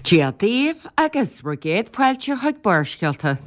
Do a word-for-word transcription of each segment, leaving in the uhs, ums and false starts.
Dia daoibh agus bhur gcéad fáilte chuig Barrscéalta.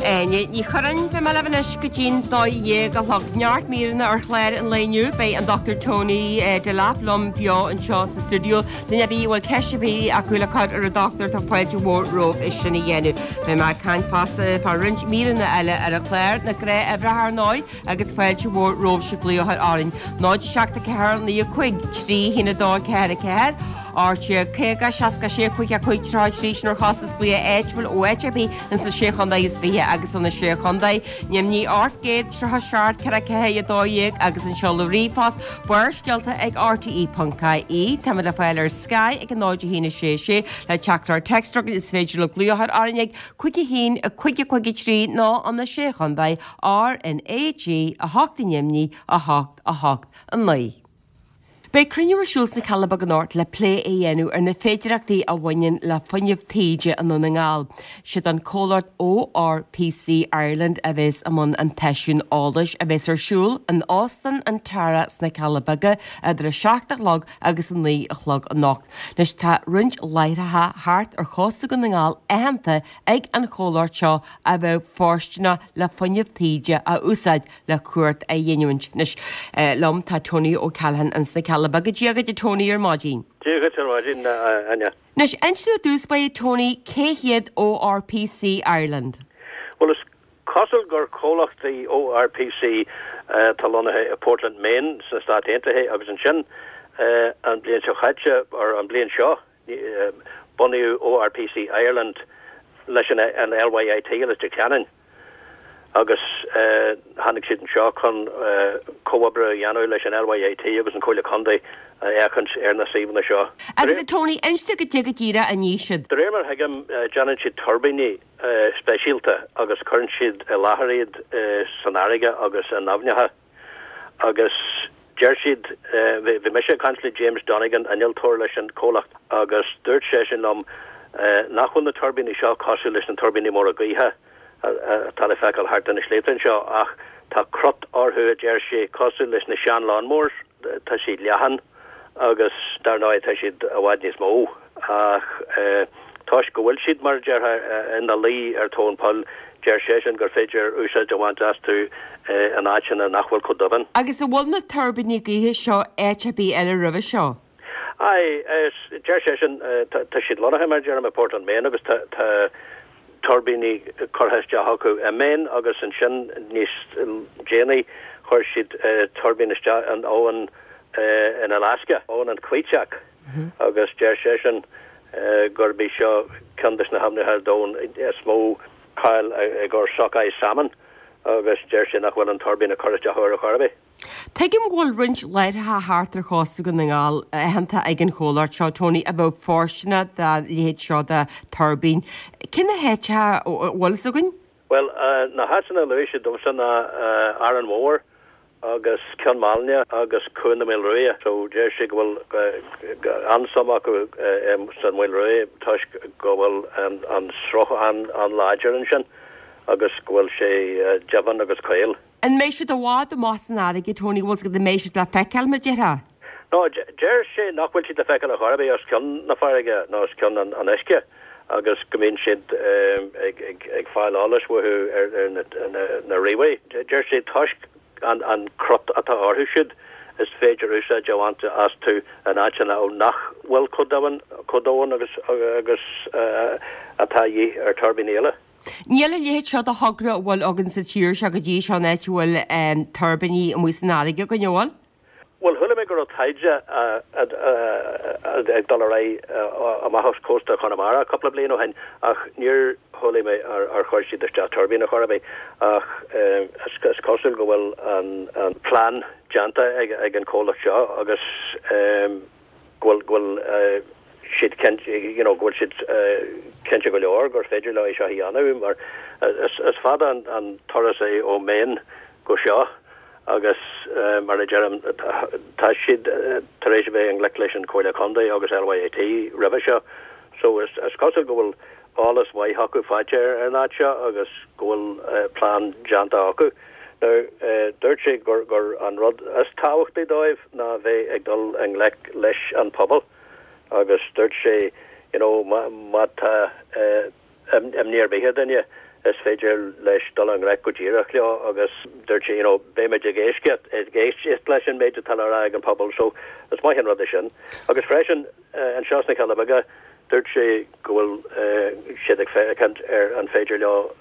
Áine Ní Churráin, beidh mé libh anois go dtí'n dó dhéag a chlog. Neart míreanna ar chlár an lae inniu. Beidh an Dochtúir Tony Delap liom beo anseo sa stiúideo. Duine ar bith a bhfuil ceist ar bith acu le cur ar an dochtúir tá fáilte mhór romhaibh é sin a dhéanamh. Beidh mé ag caint fosta fá roinnt míreanna eile ar an chlár, na gnáthuimhreacha ar ndóigh, agus fáilte mhór romhaibhse glaoch a chur orainn. náid seacht a ceathair naoi a cúig trí haon a dó ceathair a ceathair, ocht déag caoga seasca sé cúig a cúig tríocha a trí sin ar chostas glaoch áitiúil ó áit ar bith ins na Sé Chontae is Fiche agus ó na Sé Chontae Neamhní ocht gcéad tríocha seacht ceithre ceathair a dó dhéag agus an seoladh ríomhphost Barrscéalta ag R T E ponc I E. Táimid le fáil ar Sky ag a náid a haon a sé sé le teachtaireacht téacs is féidir libh glaoch a chur orainn ag cúig a haon a cúig a cúig a trí nó ó na Sé Chontae R N A G a hocht i Neamhní a hocht a hocht a naoi. Beidh cruinniú ar siúl sna Cealla Beaga anocht le plé a dhéanamh ar na féidearthachtaí a bhaineann le fuinneamh taoide i nDún na nGall. Siad an comhlacht O R P C Ireland a bheas i mbun an tseisiúin eolais a bheas ar siúl in Óstán an Tara sna Cealla Beaga idir a seacht a chlog agus a naoi a chlog anocht. Anois tá roinnt láithreacha thart ar chósta Dhún na nGall aitheanta ag an chomhlacht seo a bheadh fóirsteanach le fuinneamh taoide a úsáid le cumhacht a ghiniúint. Anois liom tá Tony O'Callaghan ins na Cealla Beaga. Dia dhuit a Tony ar maidin. Dia dhuit ar maidin, a Áine. Anois, inis dúinn i dtús báire Tony, cé hiad O R P C Ireland? Bhuel, is cosúil gur comhlacht í O R P C atá lonnaithe i Portland, Maine sna Stáit Aontaithe agus ansin an bhliain seo chaite, or an bhliain seo, bunaíodh O R P C Ireland leis an L Y I T i Leitir Ceanainn agus tháinig siad anseo chun comhoibriú a dhéanamh leis an L Y I T agus an Comhairle Contae a fhéachaint ar na suíomhanna seo. Agus a Tony, inis dúinn cad é go díreach a ní siad. De réir mar a thuigim, déanann siad tuirbíní speisialta agus cuireann siad i láthair iad san fharraige agus in aibhneacha agus deir siad, bhí mise ag caint le James Donegan, innealtóir leis an chomhlacht, agus dúirt seisean liom nach bhfuil na tuirbíní seo cosúil leis na tuirbíní móra gaoithe atá le feiceáil thart ar na sléibhte anseo ach tá crot orthu, a deir sé, cosúil leis na sean-lawnmowers, tá siad leathan agus dar ndóigh tá siad i bhfad níos mó ach toisc go bhfuil siad, mar a déarfá, ina luí ar tóin poill, deir seisean gur féidir úsáid a bhaint astu in áiteanna nach bhfuil chomh doimhin. Agus an bhfuil na tuirbíní gaoithe seo áit ar bith eile roimhe seo? Aye, deir seisean, tá siad lonnaithe, mar a deirim, i Portland, Maine agus tá tuirbíní curtha isteach acu i Maine agus ansin níos déanaí chuir siad tuirbín isteach in abhainn in Alaska, abhainn an Kvichak, agus deir seisean gurb í seo ceann de na haibhneacha ar domhan is mó cáil i gcomhair sockeye salmon agus deir sé nach bhfuil an tuirbín a chur isteach ar chor ar bith. Tuigim go bhfuil roinnt láithreacha thart ar chósta Dhún na nGall aitheanta ag an chomhlacht seo, Tony, a bheadh fóirsteanach dá leithéid seo de tuirbín. Cé na háiteacha a bhfuil fhios againn? Bhuel, na háiteanna a luaigh siad domsa ná Árainn Mhór agus Ceann Mailinne agus Cuan na Maoilruaidhe. So deir sé go bhfuil an-suim acu san Mhaoil Ruaidh toisc go bhfuil an sruth an-láidir ansin agus go bhfuil sé doimhin agus caol. An mbeidh siad i bhfad amach san fharraige, Tony, bhfuil an mbeidh siad le feiceáil, mar a déarfá? No, deir sé nach bhfuil siad le feiceáil ar chor ar bith os cionn na farraige nó os cionn an uisce agus go mbíonn siad ag fáil eolais uathu ar na ríomhairí. Deir sé toisc an crot atá orthu siúd, is féidir úsáid a bhaint astu in áiteanna nach bhfuil chomh domhain chomh domhain agus agus atá a dhíth ar tuirbíní eile. Níl a leithéid seo de thogra a bhfuil againn sa tír seo go dtí seo an áit a bhfuil tuirbíní amuigh san fharraige againn, an bhfuil? Bhuel, chuala mé go raibh taighde ag dul ar aghaidh amach os cósta Chonamara cúpla bliain ó shin ach níor chuala mé ar chuir siad isteach tuirbín ar chor ar bith ach is cosúil go bhfuil an plean déanta ag an chomhlacht seo agus go bhfuil go bhfuil siad cinnte you know go bhfuil siad cinnte go leor gur féidir leo é seo a dhéanamh mar is fada an turas é ó Maine go seo. Agus mar a deirim, tá siad tar éis a bheith i ngleic leis an Chomhairle Contae agus L Y I T roimhe seo, so is is cosúil go bhfuil eolas maith acu faighte ar an áit seo agus go bhfuil plean déanta acu. Now, dúirt sé gur gur an rud is tábhachtaí dóibh ná bheith ag dul i ngleic leis an pobal agus dúirt sé you know má má tá imní ar bith ar dhuine, is féidir leis dul i ngleic go díreach leo. Agus dúirt sé you know beimid ag éisteacht ag éisteacht leis an méid atá le rá ag an pobal, so is maith an rud é sin. Agus freisin anseo sna Cealla Beaga, dúirt sé go bhfuil siad ag féachaint ar an féidir leo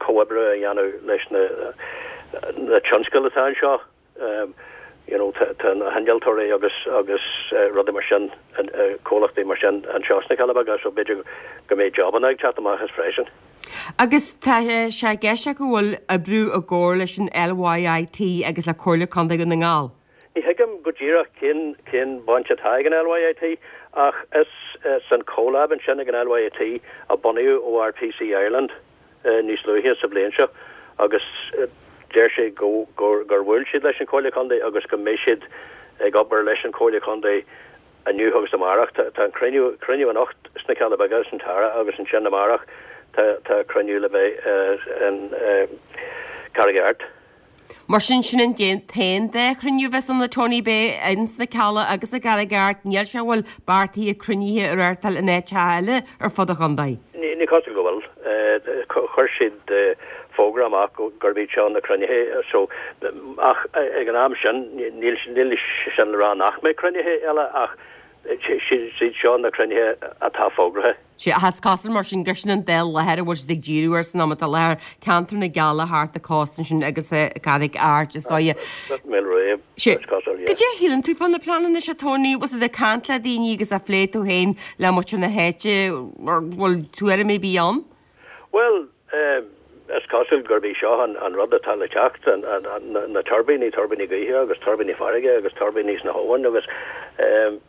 comhoibriú a dhéanamh leis na na tionscail atá anseo, you know tá na hinnealtóirí agus agus rudaí mar sin, comhlachtaí mar sin anseo sna Cealla Beaga, so b'fhéidir go mbeidh jobanna ag teacht amach as freisin. Agus tá sé i gceist go bhfuil oibriú i gcomhar leis an L Y I T agus le Comhairle Contae Dhún na nGall. Ní thuigim go díreach cén cén baint atá ag an L Y I T, ach is san CoLab ansin ag an L Y I T a bunaíodh O R P C Ireland níos luaithe sa bhliain seo, agus deir sé go gur gur bhuail siad leis an Chomhairle Contae agus go mbeidh siad ag obair leis an Chomhairle Contae inniu agus amárach. Tá an cruinniú cruinniú anocht sna Cealla Beaga san Tara agus ansin amárach tá tá cruinniú le bheith in Carraig Airt. Mar sin, sin an t-aon dá chruinniú a bheas ann, a Tony, beidh ins na Cealla agus i gCarraig Airt. Níl sé bhfuil beartaithe cruinnithe a reáchtáil in áiteacha eile ar fud an chontae. Ní cosúil go bhfuil. Chuir siad fógra amach gurb iad seo na cruinnithe, so ach ag an am sin níl níl sin le rá nach mbeidh cruinnithe eile, ach siad seo na cruinnithe atá fógraithe. Sé has cosúil mar sin gur sin an dá láthair a bhfuil siad ag díriú ar san am atá láthair, ceantar na gCealla thart a costan sin agus Carraig Airt is dóigh. Sé Cad é a shíleann tú fá na pleananna seo, Tony? Was ag caint le daoine agus a phlé tú féin le muintir na háite, bhfuil tuairim ar bith ann? Well, um, is cosúil gurb é seo an, an rud atá le teacht, an, an, an, na tuirbíní, tuirbíní gaoithe agus tuirbíní farraige agus tuirbíní sna habhann, agus um,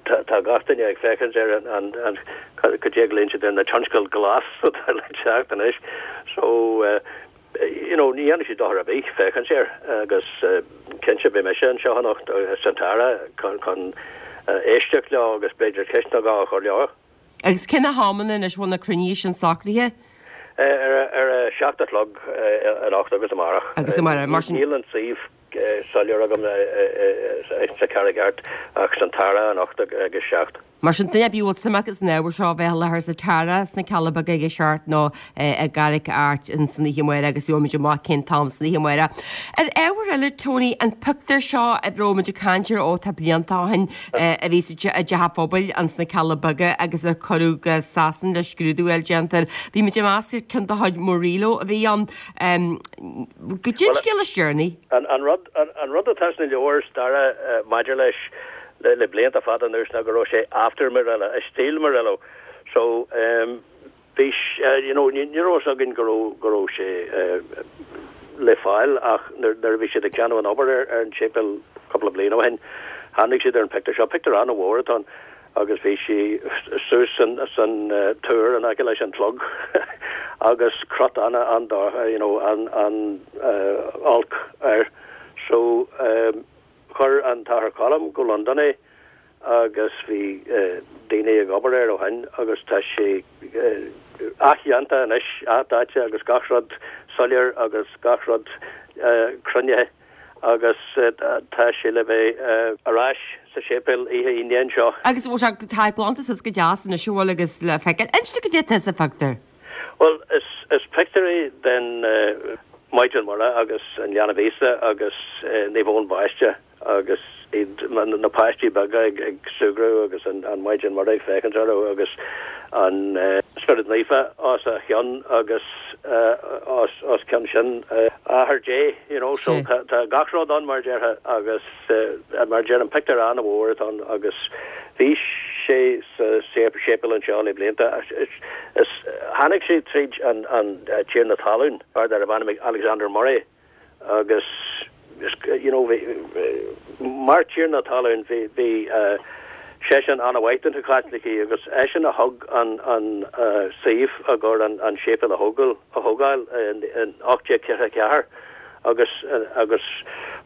tá gach duine ag féachaint ar an an go dé linn na tionscal glas atá le teacht anois, so uh, you know ní dhéanfaidh sé dochar ar bith féachaint air, agus uh, cinnte beidh mise anseo anocht san Tara chun chun uh, éisteacht leo agus b'fhéidir ceist nó dhó a chur leo. Agus cén t-am anois bhfuil na cruinnithe sin socraithe? Ar ar a seacht a chlog anocht agus amárach. Agus amárach, mar sin. Níl an suíomh soiléir agam sa Charraig Airt, ach san Tara anocht agus seacht. Mar sin, duine bhfuil suim acu san ábhar seo, bheith láthair sa Tara sna Cealla Beaga ag a seacht nó i gCarraig Airt in san oíche amárach, agus gheobhaimid amach cén t-am san oíche amárach. Ar ábhar eile, Tony, an pictiúr seo a raibh muid ag caint air ó tá blianta ó shin, a bhí sa dteach pobail an sna Cealla Beaga agus a cuireadh go Sasana le scrúdú eile déanta. Bhí muid ag meas ceann de chuid Murillo a bhí ann. Go dtí scéal is deireanaí. An rud an rud atá sna leabhair staire maidir leis le, le blianta fada anuas ná go raibh sé after Murillo, a stíl Murillo. So um, bhí uh, you know, ní raibh againn go raibh go raibh sé uh, le fáil, ach nuair a bhí siad ag déanamh an obair ar, ar an séipéal cúpla bliain ó shin, tháinig siad ar an pictiúr seo. Pictiúr an-mhór atá agus bhí sí suas san san uh, túr an aice leis an clog agus crot an an you know, an an uh, olc air. So um, chuir an tAthair Colm go London é agus bhí uh, daoine ag obair air ó shin, agus tá sé uh, athdhéanta anois, athdaite agus gach rud soiléir agus gach rud uh, cruinnithe, agus uh, tá sé le bheith uh, ar ais sa séipéal oíche Aoine seo. Agus bhfuil sé tá glanta suas go deas na siúil agus le feiceáil. Inis cad é sa phictiúr. Well, is is pictiúr é den uh, Maighdean Mhuire agus an Leanbh Íosa agus uh, Naomh Eoin Baiste agus iad na páistí beaga ag, ag súgradh agus an, an Maighdean Mhuire ag féachaint orthu agus an uh, Spiorad Naofa os a chionn agus uh, os, os cionn sin uh, Athair Dé, you know, so tá, tá gach rud ann mar déarfá, agus uh, mar deir an pictiúr an-mhór ann, agus bhí sé sa séipéal anseo le blianta. Is tháinig sé tríd an, an uh, tiarna talún ar darbh ainm Alexander Murray, agus you know bhí mar tiarna talún bhí bhí uh, seisean an-mhaith do na Caitlicigh, agus eisean a thug an an uh, suíomh a gur an an séipéal a thógáil a thógáil in, in ocht déag ceathair ceathair, agus uh, agus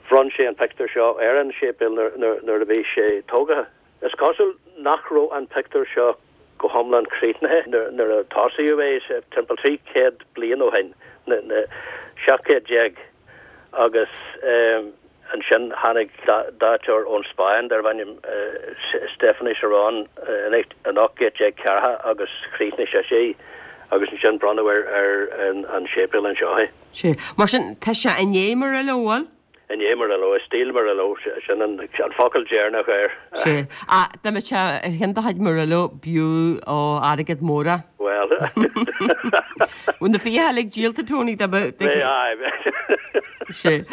Bhronn sé an pictiúr seo ar an séipéal nuair a bhí sé tógtha. Is cosúil nach raibh an pictiúr seo go hiomlán críochnaithe nuair a tosaíodh é timpeall trí chéad bliain ó shin, seacht gcéad déag, agus ansin tháinig daiteoir ón Spáinn darbh ainm Stefano Serrán in ocht gcéad déag ceathracha agus chríochnaigh sé é agus ansin bronnadh ar an séipéal anseo é. Sea. Mar sin, tá sé i ndiaidh Murillo, an bhfuil? I ndiaidh Murillo, i stíl Murillo, sin an focal deireanach air. Sea. Ach dá mbeadh sé ar cheann de chuid Murillo, b'fhiú ó airgead mór é. Bhuel. Bhfuil na fiacha uilig díolta, Tony, dá mbeadh. Bheadh, aye. Sea.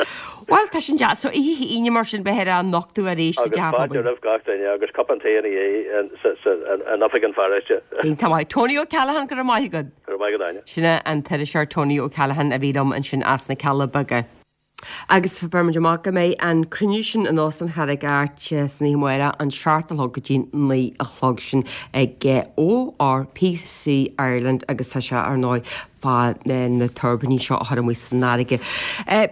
Bhuel, tá sin deas. So, oíche Aoine mar sin, beifear á nochtadh arís sa Agus dteach fáilte pobail. roimh gach duine agus cupán tae ina dhiaidh in oifig an pharóiste. Iontach maith. Tony O'Callaghan, go raibh maith agat. Go raibh maith agat, Áine. Sin é an t-iriseoir Tony O'Callaghan a bhí liom ansin as na Cealla Beaga. Agus beir muid amach go mbeidh an cruinniú sin in Óstán Charraig Airt san oíche amárach an seacht a chlog go dtí naoi a chlog sin ag ORPC Ireland agus tá sé ar ndóigh fá na tuirbíní seo a chur amuigh san fharraige.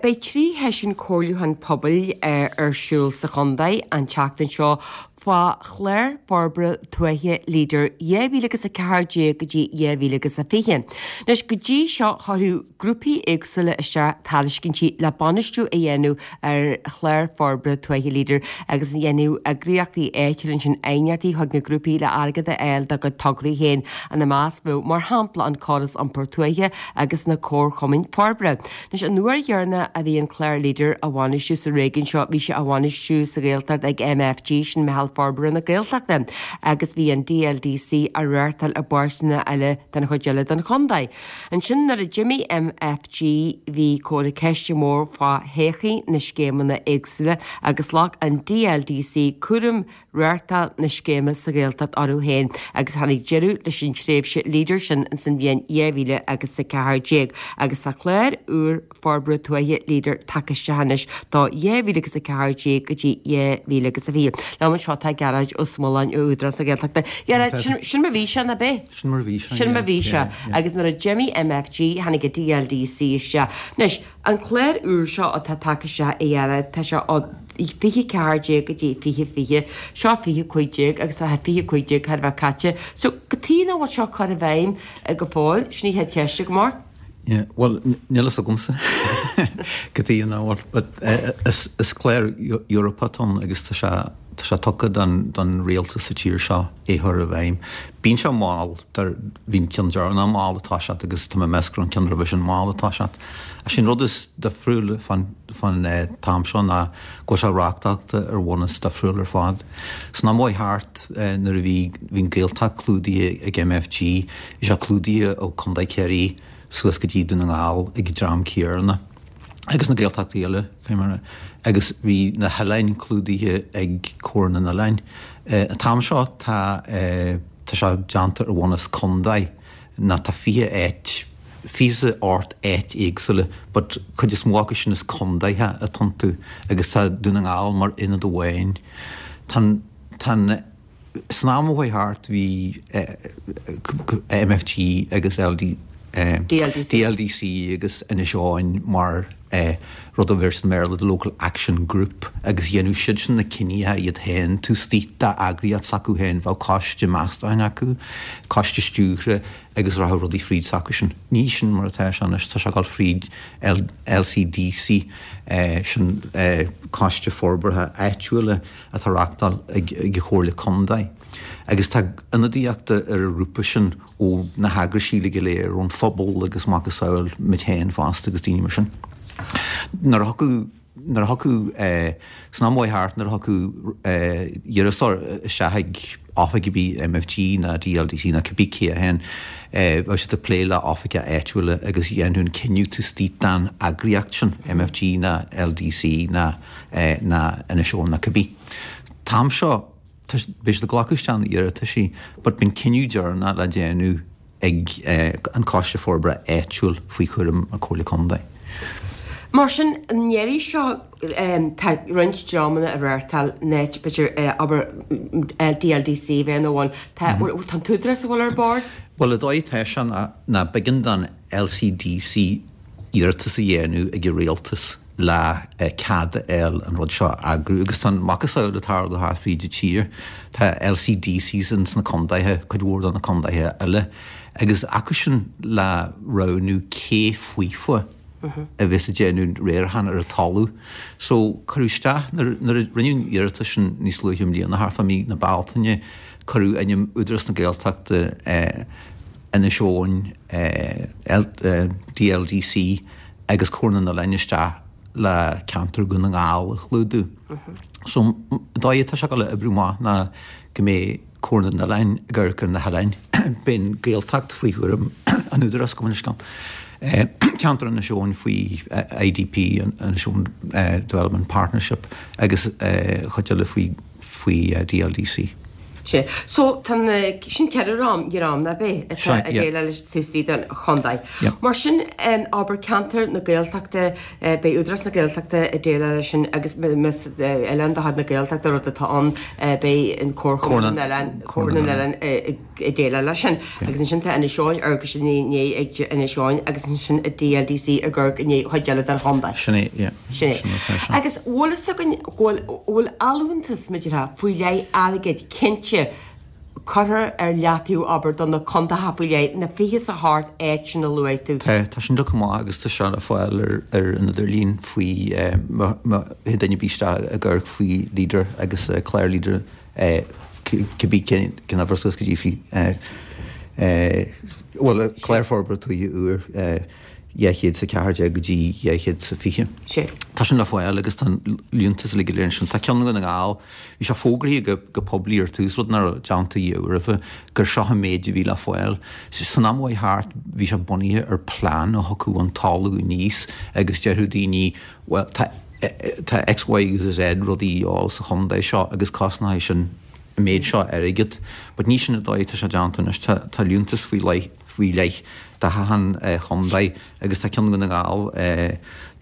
Beidh trí sheisiún comhairliúcháin pobail ar siúl sa chontae an tseachtain seo fá Chlár Forbartha Tuaithe Leader dhá mhíle agus a ceathair déag go dtí dhá mhíle agus a fiche. Anois go dtí seo chuirfeadh grúpaí éagsúla isteach tairiscintí le bainistiú a dhéanamh ar Chlár Forbartha Tuaithe Leader agus dhéanadh eagraíochtaí áitiúla ansin aighneachtaí chuig na grúpaí le airgead a fháil dá gcuid tograí féin ina measc bheadh mar shampla an córas iompair tuaithe agus na comharchumainn forbartha. Anois an uair dheireanach a bhí an clár Leader á bhainistiú sa réigiún seo bhí sé á bhainistiú sa Ghaeltacht ag MFG sin Meitheal Forbartha na Gaeltachta agus bhí an DLDC á reáchtáil i bpáirteanna eile den chuid eile den chontae. Ansin nuair a d'imigh MFG bhí comhartha ceiste mór fá thodhchaí na scéimeanna éagsúla agus ghlac an DLDC cúram reáchtáil na scéime sa Ghaeltacht orthu féin agus tháinig deireadh leis an tréimhse Leader sin ins an bhliain dhá mhíle agus a ceathair déag agus tá clár úr forbartha tuaithe Leader tagtha isteach anois do dhá mhíle agus a ceathair déag go dtí dhá mhíle agus a fiche. Liom anseo tá Gearóid Ó Smuileáin ó Údarás na Gaeltachta. Gearóid, sin sin mar bhí sé, nach b'é? Sin mar bhí sé, Sin mar bhí sé. Agus nuair a d'imigh MFG tháinig an DLDC isteach. Anois, an clár úr seo atá tagtha isteach a Ghearóid, tá sé ó fiche ceathair déag go dtí fiche fiche, seo fiche cúig déag agus tá fiche cúig déag thar a bheith caite. So cad chuige nach bhfuil seo curtha i bhfeidhm go fóill, sin í chéad cheist agam ort. Yeah, well, níl fhios agamsa cad chuige nach bhfuil, but uh, is, is clár Eorpach ann agus tá sé tá sé tugtha don, don rialtas sa tír seo é chur i bhfeidhm. Bíonn sé mall bhí an ceann deireanach mall atá sé agus tá mé ag meas go raibh an ceann roimhe sin mall atá sé. A sin rud is difriúil fan fan eh, t-am seo ná go bhfuil sé reachtáilte ar bhunús difriúil ar fad. San am chuaigh thart eh, nuair a bhí bhí an Ghaeltacht clúdaithe ag MFG, bhí sé clúdaithe ó Contae Chiarraí suas go dtí Dún na nGall ag dream céanna. agus na Gaeltachtaí eile mar agus bhí na hoileáin clúdaithe ag Comhar na nOileán. An t-am seo tá tá sé déanta ar bhunús contae ná tá fiche áit fiche ocht áit éagsúla, but cuid is mó acu sin is contaetha atá iontu agus tá Dún na nGall mar ionad amháin. Tá tá san am a chuaigh thart bhí MFG agus LD DLDC. DLDC agus Inis Eoghain mar eh, rud a bhí san Béarla the Local Action Group agus dhéanadh siad sin na cinntí iad féin taobh istigh d'eagraíocht s'acu féin bheadh coiste meastachán acu, coiste stiúrtha agus rachadh rudaí fríd s'acu sin. Ní sin mar atá sé anois tá sé ag dul fríd L LCDC eh, sin eh, coiste forbartha áitiúla atá reáchtáil ag ag Comhairle Contae. Agus tá ionadaíocht ar an ngrúpa sin ó na heagraisí go léir ón phobal agus macasamhail muid féin fosta agus daoine mar sin. Nuair a thiocfadh nuair a thiocfadh eh, san am chuaigh thart nuair a thiocfadh eh, iarratas isteach ag oifig a bhí MFG ná DLDC ná cibé cé a hen eh, bheadh siad ag plé le oifigigh áitiúla agus dhéanadh an cinneadh taobh istigh den eagraíocht sin MFG ná LDC ná eh, ná Inis Eoghain ná cibé. T-am seo beidh siad ag glacadh isteach na iarrataisí, but bíonn cinneadh deireanach le déanamh ag eh, an coiste forbartha áitiúil faoi chúram an Comhairle Contae. Mar sin an iarraidh seo tá roinnt dreamanna a reáchtáil net b'fhéidir abair DLDC bheith nó amháin tá an t-údarás a bhfuil ar bord? Well, a dóigh tá sé ná ná b'éigean don LCDC iarratas a dhéanamh ag an rialtas le cead a fháil an rud seo a eagrú agus tá an macasamhail ag tarlú thart fríd an tír. Tá LCDCs ins na contaetha, cuid mhór de na contaetha eile, agus acu sin le roghnú cé faofa a bheas ag déanamh riarachán ar an talamh. So cuireadh isteach, nuair a rinneadh an iarratas sin níos luaithe i mbliana, thart fá mí na Bealtaine, cuireadh ainm Údarás na Gaeltachta, Inis Eoghain, DLDC agus Comhar na nOileán isteach le ceantar Dhún na nGall a chlúdú. So an dóigh atá sé ag dul a oibriú amach ná go mbeidh Comhar na nOileán ag amharc ar na hoileáin, beidh an Ghaeltacht faoi chúram an Údarás, gabh mo leithscéal, ceantar Inis Eoghain faoi IDP, Inis Eoghain Development Partnership, agus chuid eile faoi faoi DLDC. Sea. So, tá na, sin ceithre dhream, dhream, nach ea, atá ag déileáil leis taobh istigh den chontae. Mar sin, abair ceantar na Gaeltachta, beidh Údarás na Gaeltachta ag déileáil leis sin agus más oileán de chuid na Gaeltachta rud atá ann, beidh an Comharchumann na nOileán, Comhar na nOileán ag déileáil leis sin. Agus ansin tá Inis Eoghain, amharcfaidh siad i ndiaidh ag Inis Eoghain agus ansin an DLDC ag amharc i ndiaidh chuid eile den chontae. Sin é, yeah. Sin é. Agus bhfuil fhios againn go bhfuil, bhfuil allúntas, mar a déarfá, faoi leith airgid cinnte curtha ar leataobh, abair, do na contaetha faoi leith, na fiche is a hocht áit sin a luaigh tú. Tá, tá sin tugtha amach agus tá sé le fáil ar ar an idirlíon faoi má má théann duine ar bith isteach ag amharc faoi Leader agus clár Leader cibé cén cén uimhir suas go dtí faoi bhuel clár forbartha tuaithe úr dhá chéad is a ceathair déag go dtí dhá chéad is a fiche. Sea. Tá sin le fáil agus tá an liúntas uilig go léir ansin. Tá ceann Dhún na nGall, bhí sé fógraithe go go poiblí ar tús, rud nach raibh déanta riamh roimhe, gur seo an méid a bhí le fáil. San am a chuaigh thart bhí sé bunaithe ar plean a thiocfadh ón talamh aníos agus déarfadh daoine bhuel tá tá X, Y agus Z rudaí a dhíobháil sa chontae seo agus cosnóidh sin an méid seo airgead. But ní sin an dóigh atá sé déanta anois. Tá tá liúntas faoi leith faoi leith do achan chontae agus tá ceann Dhún na nGall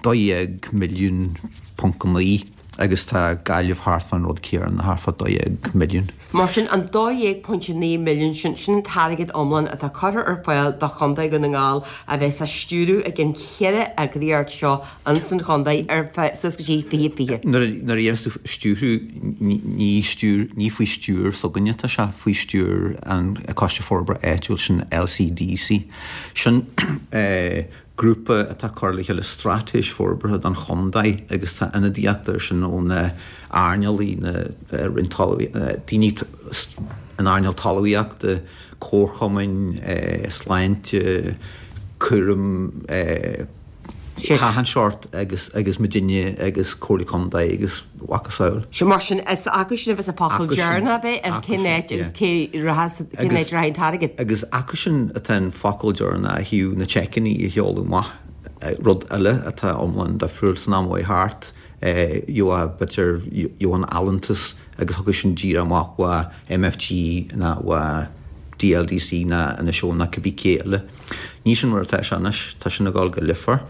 dó dhéag milliún ponc naoi agus tá Gaillimh thart fán rud céanna, thart fá dó dhéag milliún. Mar sin, an dó dhéag pointe naoi milliún sin, sin an t-airgead iomlán atá curtha ar fáil do Chontae Dhún na nGall a bheas á stiúradh ag an cheithre eagraíocht seo ins an chontae ar feadh suas go dtí fiche fiche. Nuair a deireann tú stiúradh, ní stiúr, ní faoi stiúir s'againne atá sé, faoi stiúir an Coiste Forbartha Áitiúil, sin LCDC. Sin grúpa atá ag cur le chéile straitéis forbartha don chontae agus tá ionadaíocht air sin ó na earnálaí, na roinn daoine in earnáil talmhaíochta, comharchumainn, sláinte, cúram, achan seort agus agus muidinne agus Comhairle Contae agus a mhacasamhail. Sea, mar sin, is acu sin a bheas an focal deireanach, ab ea, ar cén áit agus cé rachas, cén áit a rachaidh an t-airgead. Agus acu sin atá an focal deireanach ó thaobh na seiceanna a sheoladh amach, rud eile atá iomlán difriúil san am a chuaigh thart, gheofá b'fhéidir, gheofá an allúntas agus thiocfadh sin díreach amach ó MFG nó ó DLDC nó Inis Eoghain nó cibé cé eile. Ní sin mar atá sé anois, tá sin ag dul go Leader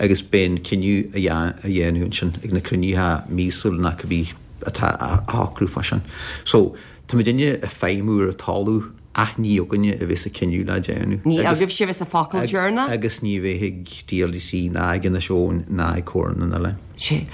agus beidh an cinneadh á dhéanamh ansin ag na cruinnithe míosúla nó cibé atá á shocrú fá sin. So, tá muidinne ag feidhmiú ar an talamh ach ní againne a bheas an cinneadh le déanamh. Ní agaibhse a bheas an focal deireanach. Agus ní bheidh ag DLDC ná ag Inis Eoghain ná ag Comhar na nOileán. Sea.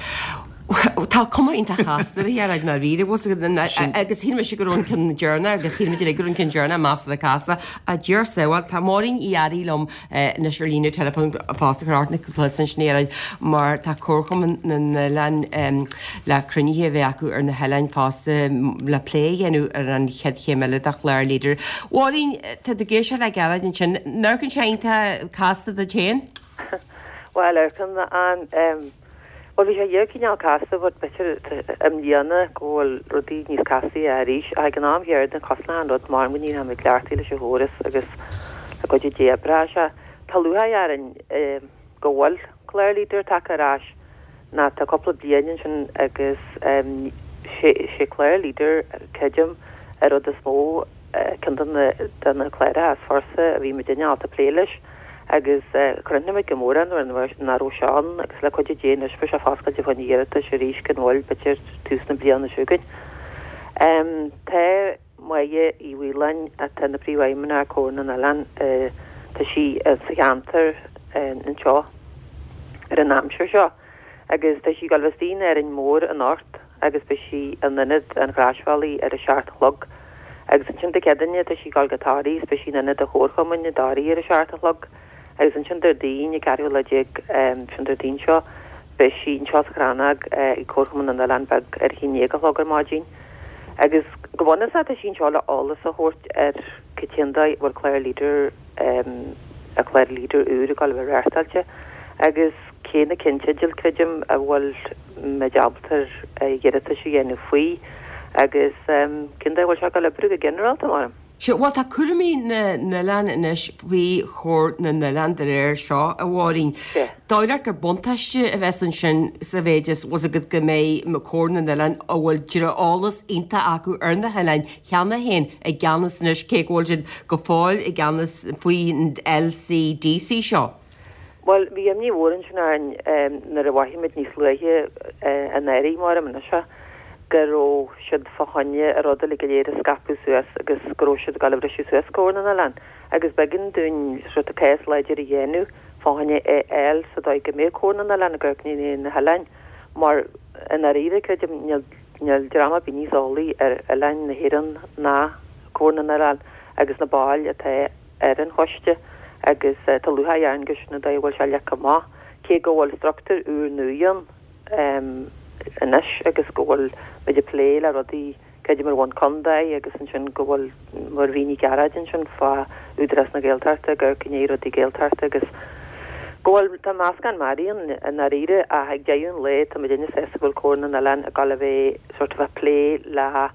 Tá cuma iontach casta uirthi ar fhad ndáiríre, bhfuil 's agat, agus shíl mise go raibh an ceann deireanach agus shíl muid uilig go raibh an ceann deireanach measartha casta. A Dhia ár sábháil, tá Máirín Uí Fhearraigh liom anois ar líne teileafóin fosta, chuir ort na cluas ansin a Ghearóid, mar tá Comharchumann na nOileán le cruinnithe a bheith acu ar na hoileáin fosta le plé a dhéanamh ar an chéad chéim eile de chlár Leader. Mháirín, tá tú ag éisteacht le Gearóid ansin, an amharcann sé iontach casta duit féin? Bhuel, amharcann an. Bhuel, bhí sé dhíreach cineál casta but b'fhéidir i mbliana go bhfuil rudaí níos castaí arís. Ach ag an am chéanna cosnóidh an rud mar go ndéanfaidh muid cleachtaí leis an chóras agus le cuidiú Dé oibreoidh sé. Tá lúcháir orainn go bhfuil clár Leader tagtha ar ais ná tá cúpla bliain ansin agus sé clár Leader creidim an rud is mó ceann de na de na cláracha is fursa a bhí muidinne ábalta plé leis agus chronaigh muid go mór é nuair nach raibh sé ann agus le cuidiú Dé anois beidh sé foscailte fá choinne iarratais arís gan mhoill b'fhéidir tús na bliana seo chugainn. Tá Máire Uí Mhaoláin atá ina Príomhfheidhmeannach ar Comhar na nOileán, tá sí sa cheantar anseo ar an aimsir seo Agus tá sí ag gabháil a bheith istigh in Árainn Mhór anocht agus beidh sí in Ionad an Chroisbhealaigh ar a seacht a chlog. Agus ansin Dé Céadaoine tá sí ag gabháil go Toraigh is beidh sí in Ionad an Chomharchumainn i dToraigh ar a seacht a chlog. Agus ansin Déardaoin an ceathrú lá déag, sin Déardaoin seo, beidh sí anseo sa Chrannóg ag Comharchumann na nOileán Beag ar a haon déag a chlog ar maidin. Agus go bunúsach tá sí anseo le eolas a thabhairt ar cad é an dóigh a bhfuil clár Leader, an clár Leader úr ag gabháil a bheith reáchtáilte. Agus cé na ceannteidil, creidim, a bhfuil muid ábalta iarratais a dhéanamh faoi agus cén dóigh a bhfuil sé ag gabháil a oibriú go ginearálta, mar. Sea, bhuel tá cúraimí na n-oileán anois faoi Chomhar na nOileán de réir seo, a Mháirín. Sea. Dóigh leat gur buntáiste a bheas ansin sa mhéid is bhfuil 's agat go mbeidh Comhar na nOileán, a bhfuil eolas iontach acu ar na hoileáin cheana féin, i gceannas anois, cé go bhfuil siad go fóill i gceannas faoin LCDC seo? Bhuel, bhí imní mhór ansin orainn nuair a mhothaigh muid níos luaithe anuraidh, maram anois é, go raibh siad fá choinne an rud uilig go léir a scaipeadh suas agus go raibh siad ag dul a bhriseadh suas Comhar na nOileán agus b'éigean dúinn sort of cás láidir a dhéanamh fá choinne é a fháil sa dóigh go mbeadh Comhar na nOileán ag amharc i ndiaidh na hoileáin mar i ndáiríre, creidim, níl níl dream ar bith níos eolaí ar oileáin na hÉireann ná Comhar na nOileán agus na baill atá ar an choiste agus tá lúcháir orainn go sin an dóigh a bhfuil sé leagtha amach, cé go bhfuil struchtúr úr nua ann anois agus go bhfuil muid ag plé le rudaí, creidim ar bhonn contae agus ansin go bhfuil, mar a mhínigh Gearóid ansin fá Údarás na Gaeltachta ag amharc i ndiaidh rudaí Gaeltachta agus go bhfuil, tá meascán mearaí ann i ndáiríre ach ag deireadh an lae tá muidinne sásta go bhfuil Comhar na nOileán ag dul a bheith sort of ag plé le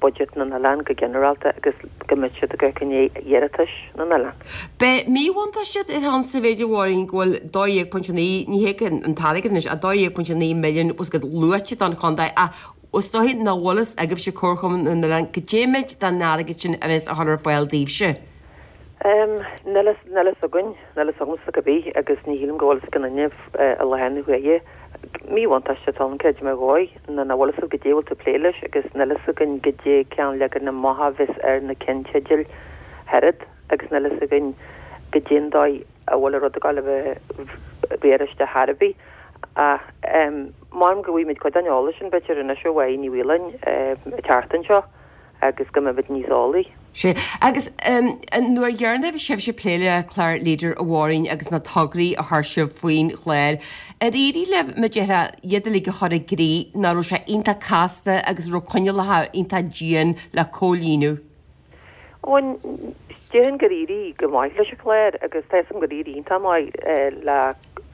budget na n-oileán go ginearálta agus go mbeidh siad ag amharc i ndiaidh iarratais na n-oileán. Beidh míbhuntáiste ann sa mhéid a Mháirín go bhfuil dó dhéag pointe naoi, ní hé an t-airgead anois, ach dó dhéag pointe naoi milliún bhfuil 's agat luaite don chontae ach is dóiche nach bhfuil fhios agaibhse Comharchumann na nOileán goidé méid den airgead sin a bheas á chur ar fáil daoibhse. Níl a fhios againn, níl a fhios agamsa cibé agus ní shílim go bhfuil fhios ag aon duine i láthair na huaire. Míbhuntáiste atá ann, creidim, ar dhóigh, ná nach bhfuil fhios agat goidé a bhfuil tú ag plé leis agus níl a fhios againn goidé cén leagan amach a bheas ar na ceannteidil oiread agus níl a fhios againn goidé an dóigh a bhfuil an rud ag dul a bheith riaráiste ar chor ar bith. Ach maram go bhfaighimid cuid den eolas sin b'fhéidir anois ó Mháire Ní Mhaoláin an tseachtain seo. agus go mbeimid níos eolaí. Sea, agus nuair dheireanach a bhí sibhse ag plé le clár Leader a Mháirín agus na tograí a chuir sibh faoin chlár, ar éirigh libh, mar a déarfá, iad uilig a chur i gcrích, nach raibh sé iontach casta agus a raibh coinníollacha iontach dian le comhlíonadh? Ó, déarfainn gur éirigh go maith leis an chlár agus tá 'fhios agam gur éirigh iontach maith le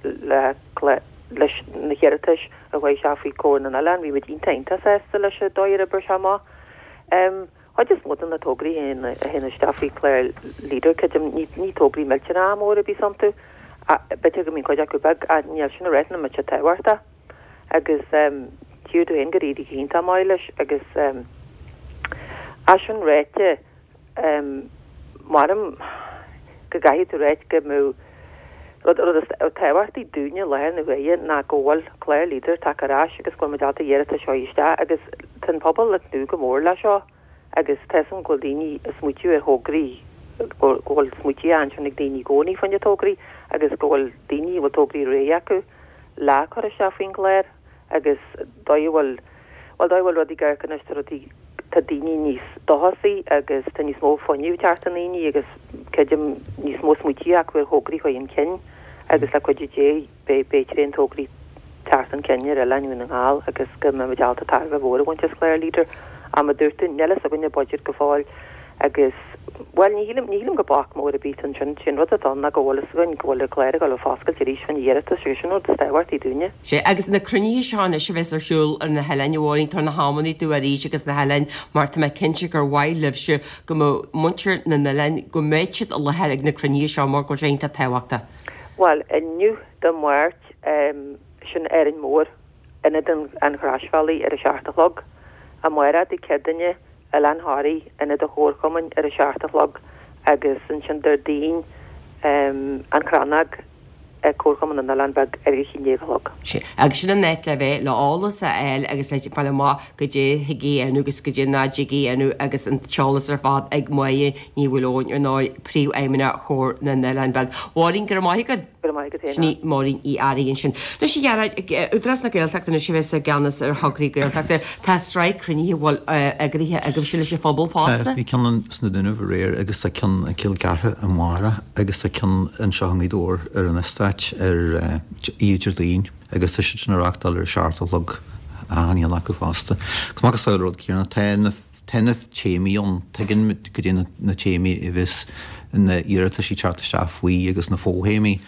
le leis na hiarratais a chuaigh isteach faoi Comhar na nOileán. Bhí muid iontach iontach sásta leis an dóigh ar oibrigh sé amach. Chuid is mó de na tograí a théann isteach faoi chlár Leader, creidim, ní tograí millteanacha móra a bhíos iontu, b'fhéidir go mbíonn cuid acu beag, ach níl sin ag ráit nach mbeadh siad tábhachtach. Agus tchífidh tú féin gur éirigh go hiontach maith leis agus é sin ráite, Maram go gcaithfidh tú ráit go mbeadh rud rud is tábhachtaí dúinne i láthair na huaire ná go bhfuil clár Leader tagtha ar ais agus go bhfuil muid ábalta iarratais a chur isteach agus tá an pobal ag tnúth go mór le seo agus tá 'fhios agam go bhfuil daoine ag smaoitiú ar thograí go bhfuil smaoití ansin ag daoine i gcónaí fá choinne tograí agus go bhfuil daoine a bhfuil tograí réidh acu le cur isteach faoin gclár agus dóigh a bhfuil bhuel dóigh a bhfuil rudaí ag amharc anois tá rudaí tá daoine níos dóchasaí agus tá níos mó fuinnimh ag teacht i ndaoine agus creidim níos mó smaoití acu ar thograí a chur chun cinn agus le cuidiú Dé beidh beidh tréan tograí teacht chun cinn ar oileáin Dhún na nGall agus go mbeidh muid ábalta tairbhe mhór a bhaint as clár Leader. Ach mar a dúirt tú, níl fhios againn an budget go fóill agus, bhuel, ní shílim, ní shílim gur bac mór ar bith ansin. Sé an rud atá ann ná go bhfuil fhios againn go bhfuil an clár ag dul a foscailt arís fá choinne iarratas agus sin an rud is tábhachtaí dúinne. Sea, agus na cruinnithe seo anois a bheas ar siúl ar na hoileáin, a Mháirín, tabhair na hamanna dúinn arís agus na hoileáin mar tá mé cinnte gur mhaith libhse go mbeadh muintir na n-oileán, go mbeadh siad i láthair ag na cruinnithe seo mar go bhfuil sé iontach tábhachtach. Bhuel, inniu, Dé Máirt, sin Árainn Mhór, Ionad an Chroisbhealaigh ar a seacht a chlog. Amárach, Dé Céadaoine, Oileán Thoraí, Ionad an Chomharchumainn ar a seacht a chlog agus ansin Déardaoin, An Chrannóg ag Comharchumann na nOileán Beag ar a haon déag a chlog. Sea, agus sin an áit le bheith, le eolas a fháil agus le fáil amach goidé a thig a dhéanamh agus goidé nach dtig a dhéanamh agus an t-eolas ar fad ag Máire Ní Mhaoileoin, ar ndóigh, Príomhfheidhmeannach Chomhar na nOileán Beag. Mháirín, go raibh maith agat. Go raibh maith agat féin. Sin í Máirín Uí Fhearraigh ansin. Anois a Ghearóid, Údarás na Gaeltachta anois a bheas i gceannas ar thograí Gaeltachta. Tá sraith cruinnithe a bhfuil eagraithe agaibhse leis an phobal Tá, fosta. bhí ceann sna Dúnaibh aréir agus tá ceann i gCill Chartha amárach agus tá ceann anseo i nGaoth Dobhair ar an eastát ar oíche Déardaoin agus tá siad sin á reáchtáil ar a seacht a chlog achan cheann acu fosta. Agus macasamhail an rud céanna, tá na Tá na téamaí ann, tuigeann muid goidé na téamaí a bheas na iarrataisí teacht isteach faoi agus na fo-théamaí.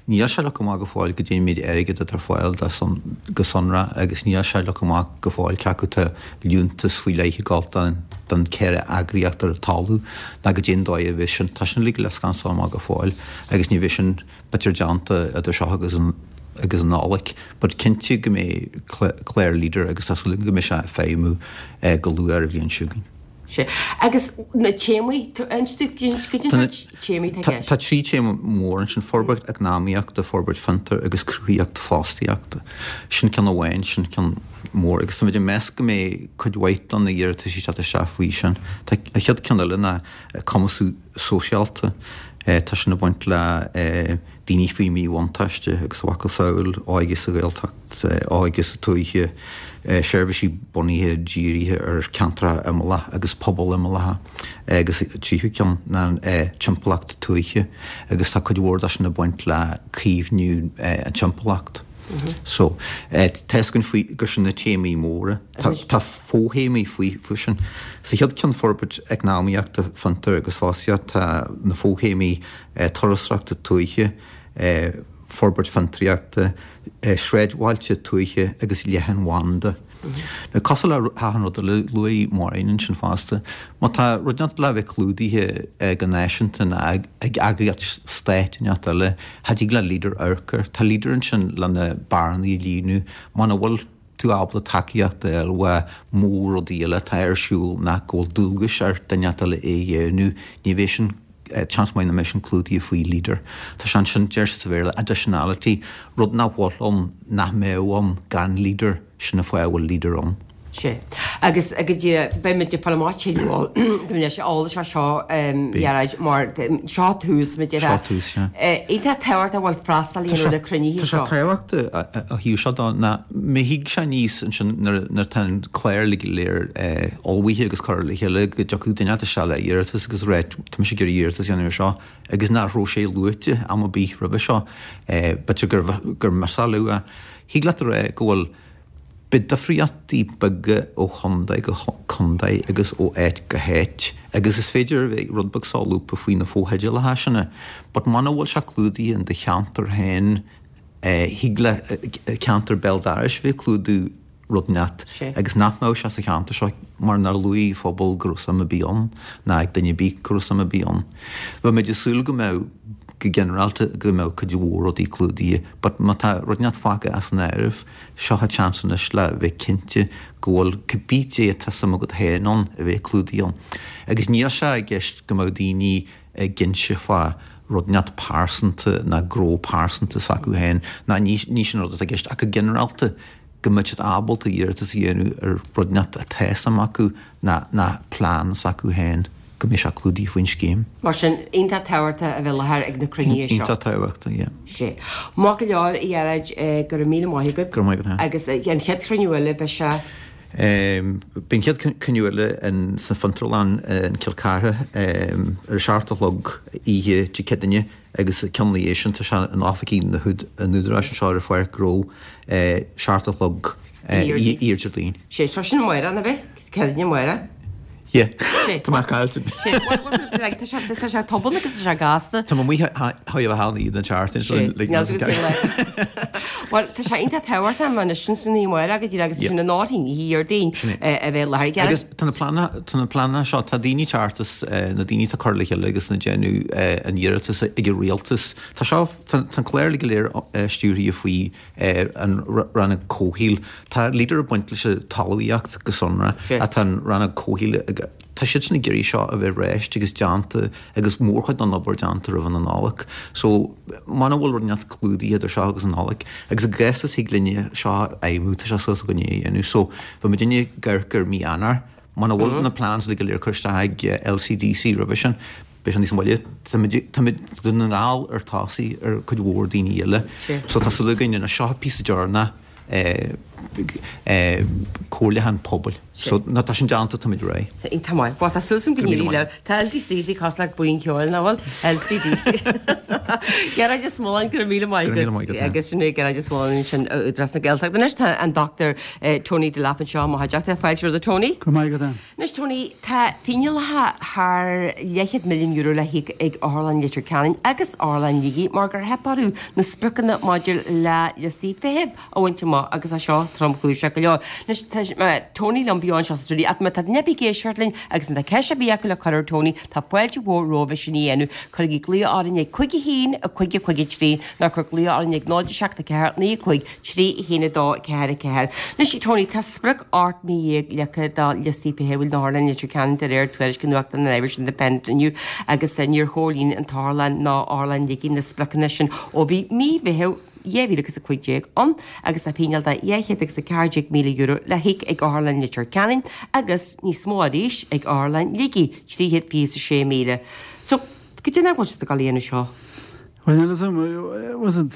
Níl sé leagtha amach go fóill goidé an méid airgid atá ar fáil dá son go sonrath agus níl sé leagtha amach go fóill cé acu tá liúntas faoi leith ag gabháil don don ceithre eagraíocht ar an talamh ná goidé an dóigh a bheas sin. Tá sin uilig le scansáil amach go fóill agus ní bheidh sin b'fhéidir déanta idir seo agus an agus an Nollaig, but cinnte go mbeidh clár Leader agus tá súil agam go mbeidh sé ag feidhmiú go luath ar an bhliain seo chugainn. Sea. Agus na téamaí, inis dúinn goidé na téamaí atá i gceist. Tá trí téama mór ansin, forbairt eacnamaíochta, forbairt fiontar agus cruthaíocht fostaíochta. Sin ceann amháin, sin ceann mór agus táimid ag meas go mbeidh cuid mhaith de na iarratais ag teacht isteach faoi sin. Tá an chéad ceann eile ná cumasú sóisialta. Tá sin ag baint le daoine faoi mhíbhuntáiste agus a mhacasamhail, óige sa Ghaeltacht, óige sa tuaithe, seirbhísí bunaithe dírithe ar cheantracha imeallacha agus pobail imeallacha agus an tríú ceann ná timpeallacht tuaithe agus tá cuid mhór de sin ag baint le caomhnú an timpeallacht. So, tá fhios againn faoi gur sin na téamaí móra. Tá tá fo-théamaí faoi faoi sin. Sa chéad ceann forbairt eacnamaíochta, fiontar agus fostaíocht, tá na fo-théamaí turasóireachta tuaithe, forbairt fiontraíochta, sráidbhailte tuaithe agus leathanbhanda. Now, cosúil le hachan rud eile, luaigh Máirín ansin fosta, má tá rud inteacht le bheith clúdaithe go náisiúnta ná ag eagraíocht stáit inteacht eile, cha dtig le Leader amharc air. Tá Leader ansin le na bearnaí a líonadh. Muna bhfuil tú ábalta tacaíocht a fháil uaidh mór-rudaí eile atá ar siúl nach go bhfuil dualgais ar duine inteacht eile é a dhéanamh, ní bheidh sin seans maith nach mbeidh sin clúdaithe faoi Leader. Tá sé ansin, deir siad sa Bhéarla, additionality, rud nach bhfuil ann, nach mbeadh ann gan Leader, sin an fáth a bhfuil Leader ann. Sea. Agus go díreach, beidh muid ag fáil amach tuilleadh go mbeidh sé eolais fá seo, a Ghearóid, mar seo tús, mar a déarfá. Seo tús, sea. Iontach tábhachtach a bhfuil freastal a dhéanamh ar na cruinnithe Tá sé seo. tábhachtach ó thaobh seo de ná má thig sé aníos ansin nuair atá an clár uilig go léir ullmhaithe agus curtha le chéile go dtiocfadh duine inteacht isteach le iarratas agus rá tá mise ag iarraidh iarratas a dhéanamh ar seo agus nach raibh sé luaite am ar bith roimhe seo, b'fhéidir gur gur mhiosálú é. Thig leat a rá go bhfuil beidh difríochtaí beaga ó chontae go contae agus ó áit go háit agus is féidir a bheith rud beag solúbtha faoi na fotheidealacha sin but muna bhfuil sé clúdaithe in do cheantar féin thig le ceantar béal dorais bheith ag clúdú rud inteacht agus nach mbeadh sé sa cheantar seo mar nár luaigh phobal go raibh suim ar bith ann ná ag duine ar bith go raibh suim ar bith ann. Bheadh muid ag súil go mbeadh go ginearálta go mbeadh cuid mhór rudaí clúdaithe but má tá rud inteacht fágtha as an áireamh seo an chance anois le bheith cinnte go bhfuil cibé dé atá suim agat féin ann a bheith clúdaithe ann. Agus níl sé i gceist go mbeadh daoine ag inse fá rud inteacht pearsanta ná gnó pearsanta s'acu féin ná ní sin an rud atá i gceist ach go ginearálta go mbeadh siad ábalta iarratas a dhéanamh ar rud inteacht atá suim acu ná ná plean s'acu féin go mbeidh sé clúdaithe faoin scéim. Mar sin, iontach tábhachtach a bheith i láthair ag na cruinnithe seo. Iontach tábhachtach, yeah. Sea. Maith go leor, a Ghearóid, go raibh míle maith agat. Go raibh maith agat féin. Agus an chéad chruinniú eile, beidh sé. Beidh an chéad chruinniú eile in sa Fhiontarlann in Cill Chartha ar a seacht a chlog oíche Dé Céadaoine agus ceann ina dhiaidh sin tá sé in oifigí na an Údaráis anseo ar an Pháirc Ghnó seacht a chlog oíche Déardaoin. Sé seo sin amárach, nach bhfeic? Céadaoine amárach. Yeah. Tá mé caillte. Tá sé tá sé tobann agus tá sé gasta. Tá mé amuigh thar a bheith iad an tseachtain seo like Bhuel tá sé iontach tábhachtach mar sin sin í amárach go díreach agus sin an áirthín oíche Dhéardaoin a bheith i láthair. Agus tá na pleananna tá na pleananna seo tá daoine ceart is na daoine atá curtha le chéile agus ag déanamh an iarratas ag an rialtas. Tá seo tá an clár uilig go léir stiúrtha faoi an rannóg comhshaoil. Tá Leader ag baint leis an talmhaíocht go sonrath ach tá an rannóg comhshaoil ag, tá siad sin ag iarraidh seo a bheith réitithe agus déanta agus mórchuid den obair déanta roimh an Nollaig. So muna bhfuil rud inteacht clúdaithe idir seo agus an Nollaig agus i gcás is thig linne seo a fheidhmiú tá sé suas againne é a dhéanamh. So bheadh muidinne ag amharc ar mí Eanáir. Muna bhfuil na plans uilig go léir curtha isteach ag LCDC roimhe sin, Beidh sé níos moille. Táimid táimid Dún na nGall ar tosaigh ar cuid mhór daoine eile. So tá súil againn anois seo píosa deireanach comhairliúchán pobail. So nuair atá sin déanta táimid réidh. Iontach maith. Bhuel tá súil agam go n-éirí libh. Tá LDC cosúil le buíon ceoil nach bhfuil? LCDC. Gearóid Ó Smuileáin, go raibh míle maith Go raibh míle maith agat. Agus sin é Gearóid Ó Smuileáin ansin ó Údarás na Gaeltachta. Anois tá an Dr Tony Delap anseo i mo chuideachta. Fáilte romhat a Tony. Go raibh maith agat Ann. Anois Tony, tá fíneálacha thar leathchéad milliún euro le híoc ag Otharlann Leitir Ceanainn agus Otharlann Shligigh mar gur theip orthu na spriocanna maidir le liostaí feithimh a bhaint amach agus tá seo tromchúiseach go leor. Anois tá Tony liom beo anseo sa stiúideo ach má tá duine ar bith ag éisteacht linn agus má tá ceist ar bith acu le cur ar Tony, tá fáilte mhór romhaibh sin a dhéanamh. Cuirigí glao orainn ag cúig a haon, a cúig a cúig a trí nó cuir glao orainn ag náid a seacht a ceathair naoi a cúig trí a haon a dó ceathair a ceathair. Anois Tony, tá sprioc ocht mí dhéag leagtha do liostaí feithimh in Otharlann Leitir Ceanainn de réir tuairisc an nuachtáin an Irish Independent inniu agus níor chomhlíon an t-otharlann ná Otharlann Shligigh na spriocanna sin ó bhí mí Mheithimh dhá mhíle agus a cúig déag ann agus tá fíneáil de dhá chéad agus a ceathair déag míle euro le híoc ag Otharlann Leitir Ceanainn agus níos mó arís ag Otharlann Shligigh, trí chéad fiche is a sé míle. So, goidé nach bhfuil siad ag dul a dhéanamh seo? Bhuel, níl fhios agam, bhfuil fhios agat,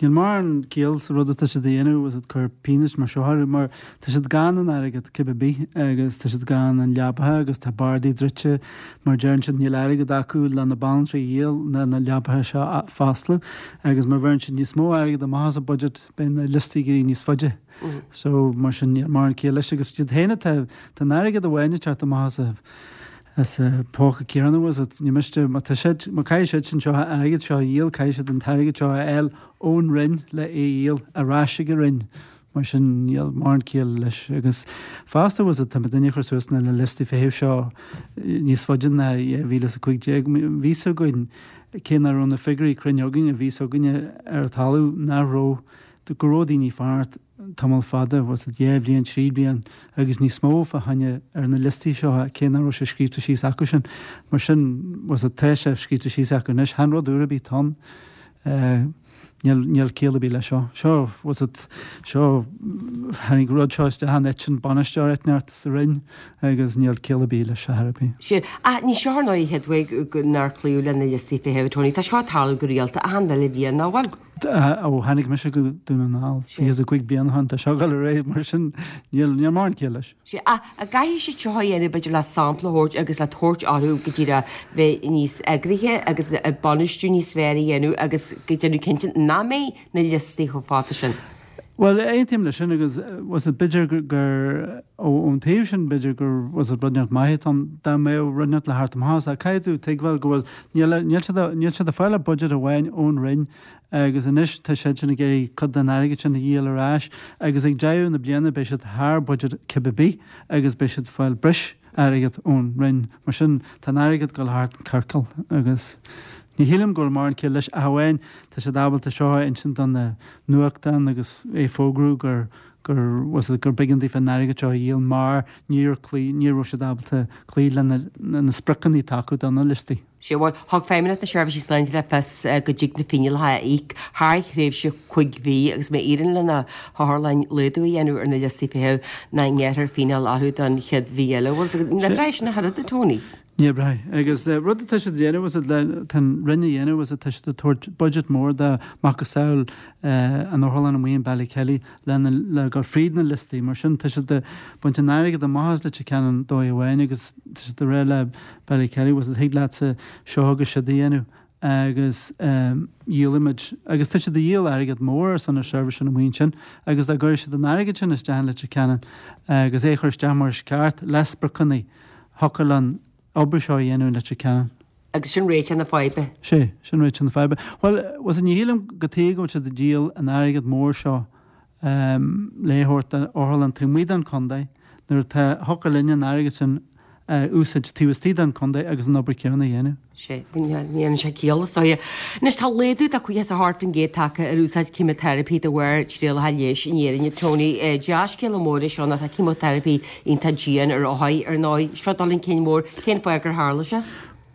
níl mórán ciall sa rud atá siad a dhéanamh, bhfuil fhios agat, cur pionóis mar seo orthu, mar tá siad gann in airgead cibé ar bith agus tá siad gann in leabaithe agus tá bardaí druidte mar deireann siad níl airgead acu le na banaltraí a dhíol ná na leabaithe seo a foscladh agus má bheireann siad níos mó airgead amach as an budget beidh na liostaí ag éirí níos faide. So mar sin níl mórán ciall leis agus iad féin atá, tá an airgead amháin ag teacht amach as a As a póca céanna bhfuil fhios agat, ní miste, má tá siad, má caithfidh siad sin seo an airgead seo a dhíol, caithfidh siad an t-airgead seo a fháil ón Roinn le é a dhíol ar ais ag an Roinn. Mar sin níl mórán ciall leis. Agus fosta bhfuil fhios agat, tá muidinne ag cur suas na liostaí feithimh seo níos faide ná dhá mhíle is a cúig déag. Bhí fhios againn, cé nach raibh na figiúirí cruinn againn, bhí fhios againne ar an talamh nach raibh, go raibh daoine ag fanacht tamall fada, bhfuil fhios agat, dhá bhliain, trí bliain agus níos mó fá choinne ar na liostaí seo, cé nach raibh sé scríobhta síos acu sin. Mar sin, bhfuil fhios agat, tá sé scríobhta síos acu anois, chan rud úr ar bith atá ann. Níl, níl ciall ar bith leis seo. Seo, bhfuil fhios agat, seo, tháinig rud seo isteach in eitinn bainisteoir inteacht sa Roinn agus níl ciall ar bith leis seo ar bith. Sea, ach ní seo ar ndóigh an chéad uair nár cloíodh le na liostaí feithimh, Tony. Tá seo ag tarlú go rialta achan uile bhliain, nach bhfuil? Ó tháinig mise go Dún na nGall fiche is a cúig bliain ó shin, tá seo ag dul ar aghaidh mar sin níl níl mórán ciall leis. Sea, ach an gcaithfidh siad seo a dhéanamh b'fhéidir le sampla a thabhairt agus le tabhairt orthu go díreach bheith níos eagraithe agus bainistiú níos fearr a dhéanamh agus go déanamh cinnte nach mbeidh na liostaí chomh fada sin. Bhuel, aontaím leis sin agus bhfuil fhios agat b'fhéidir gur ón taobh sin b'fhéidir gur bhfuil fhios agat rud inteacht maith atá ann dá mbeadh rud inteacht le theacht amach as ach caithfidh tú tuigbheáil go bhfuil níl níl siad níl siad ag fáil ach budget amháin ón Roinn agus anois tá siad sin ag iarraidh cuid den airgead sin a dhíol ar ais agus ag deireadh na bliana beidh siad thar budget cibé ar bith agus beidh siad ag fáil breis airgead ón Roinn mar sin tá an airgead ag dul thart an ciorcal agus Ní shílim go bhfuil mórán ciall leis ach amháin tá siad ábalta seo a insint do na nuachtáin agus é fógrú gur gur bhfuil fhios agat gur b'éigean daofa an airgead seo a dhíol mar níor cloí ní raibh siad ábalta cloí le na na spriocanna atá acu do na liostaí. Sea, bhuel, thug Feidhmeannacht na Seirbhíse Sláinte le fios go dtig na fíneálacha a íoc thar thréimhse cúig mhí agus má éiríonn le na hotharlanna laghdú a dhéanamh ar na liostaí feithimh nach ngearrfar fíneáil orthu don chéad mhí eile. Bhuel, ní breá sin ach oiread, a Tony. Ní breá. Agus rud atá siad a dhéanamh bhfuil fhios agat le, tá an Roinn a dhéanamh bhfuil fhios agat tá siad ag tabhairt budget mór do macasamhail an otharlann amuigh in Ballykelly le na, le dul fríd na liostaí. Mar sin tá siad ag baint an airgead amach as Leitir Ceanainn dóigh amháin agus tá siad ag rá le Ballykelly bhfuil fhios agat thig leatsa seo agus siúd a dhéanamh agus dhíolfaimid, agus tá siad ag díol airgead mór ar son na seirbhíse sin amuigh ansin agus dá gcuirfeadh siad an airgead sin isteach in Leitir Ceanainn agus é a chur isteach mar is ceart le spriocanna, thiocfadh an obair seo a dhéanamh in Leitir Ceanainn. Agus sin réiteach na faidhbe. Sé, sin réiteach na faidhbe. Bhuel, bhfuil fhios agat, ní shílim cad chuige go bhfuil siad ag díol an airgead mór seo le thabhairt d'otharlann taobh amuigh den chontae nuair atá, thiocfadh linn an airgead sin a úsáid taobh istigh den chontae agus an obair chéanna a dhéanamh. Sé, ní dhéanann sé ciall, is dóigh. Anois tá laghdú de caoga is a hocht faoin gcéad tagtha ar úsáid ceimiteiripí de bharr trialacha leighis in Éirinn. Tony, dea-scéala mór é seo nó tá ceimiteiripí iontach dian ar othair, ar ndóigh. Seo dul chun cinn mór. Cén fáth gur tharla sé?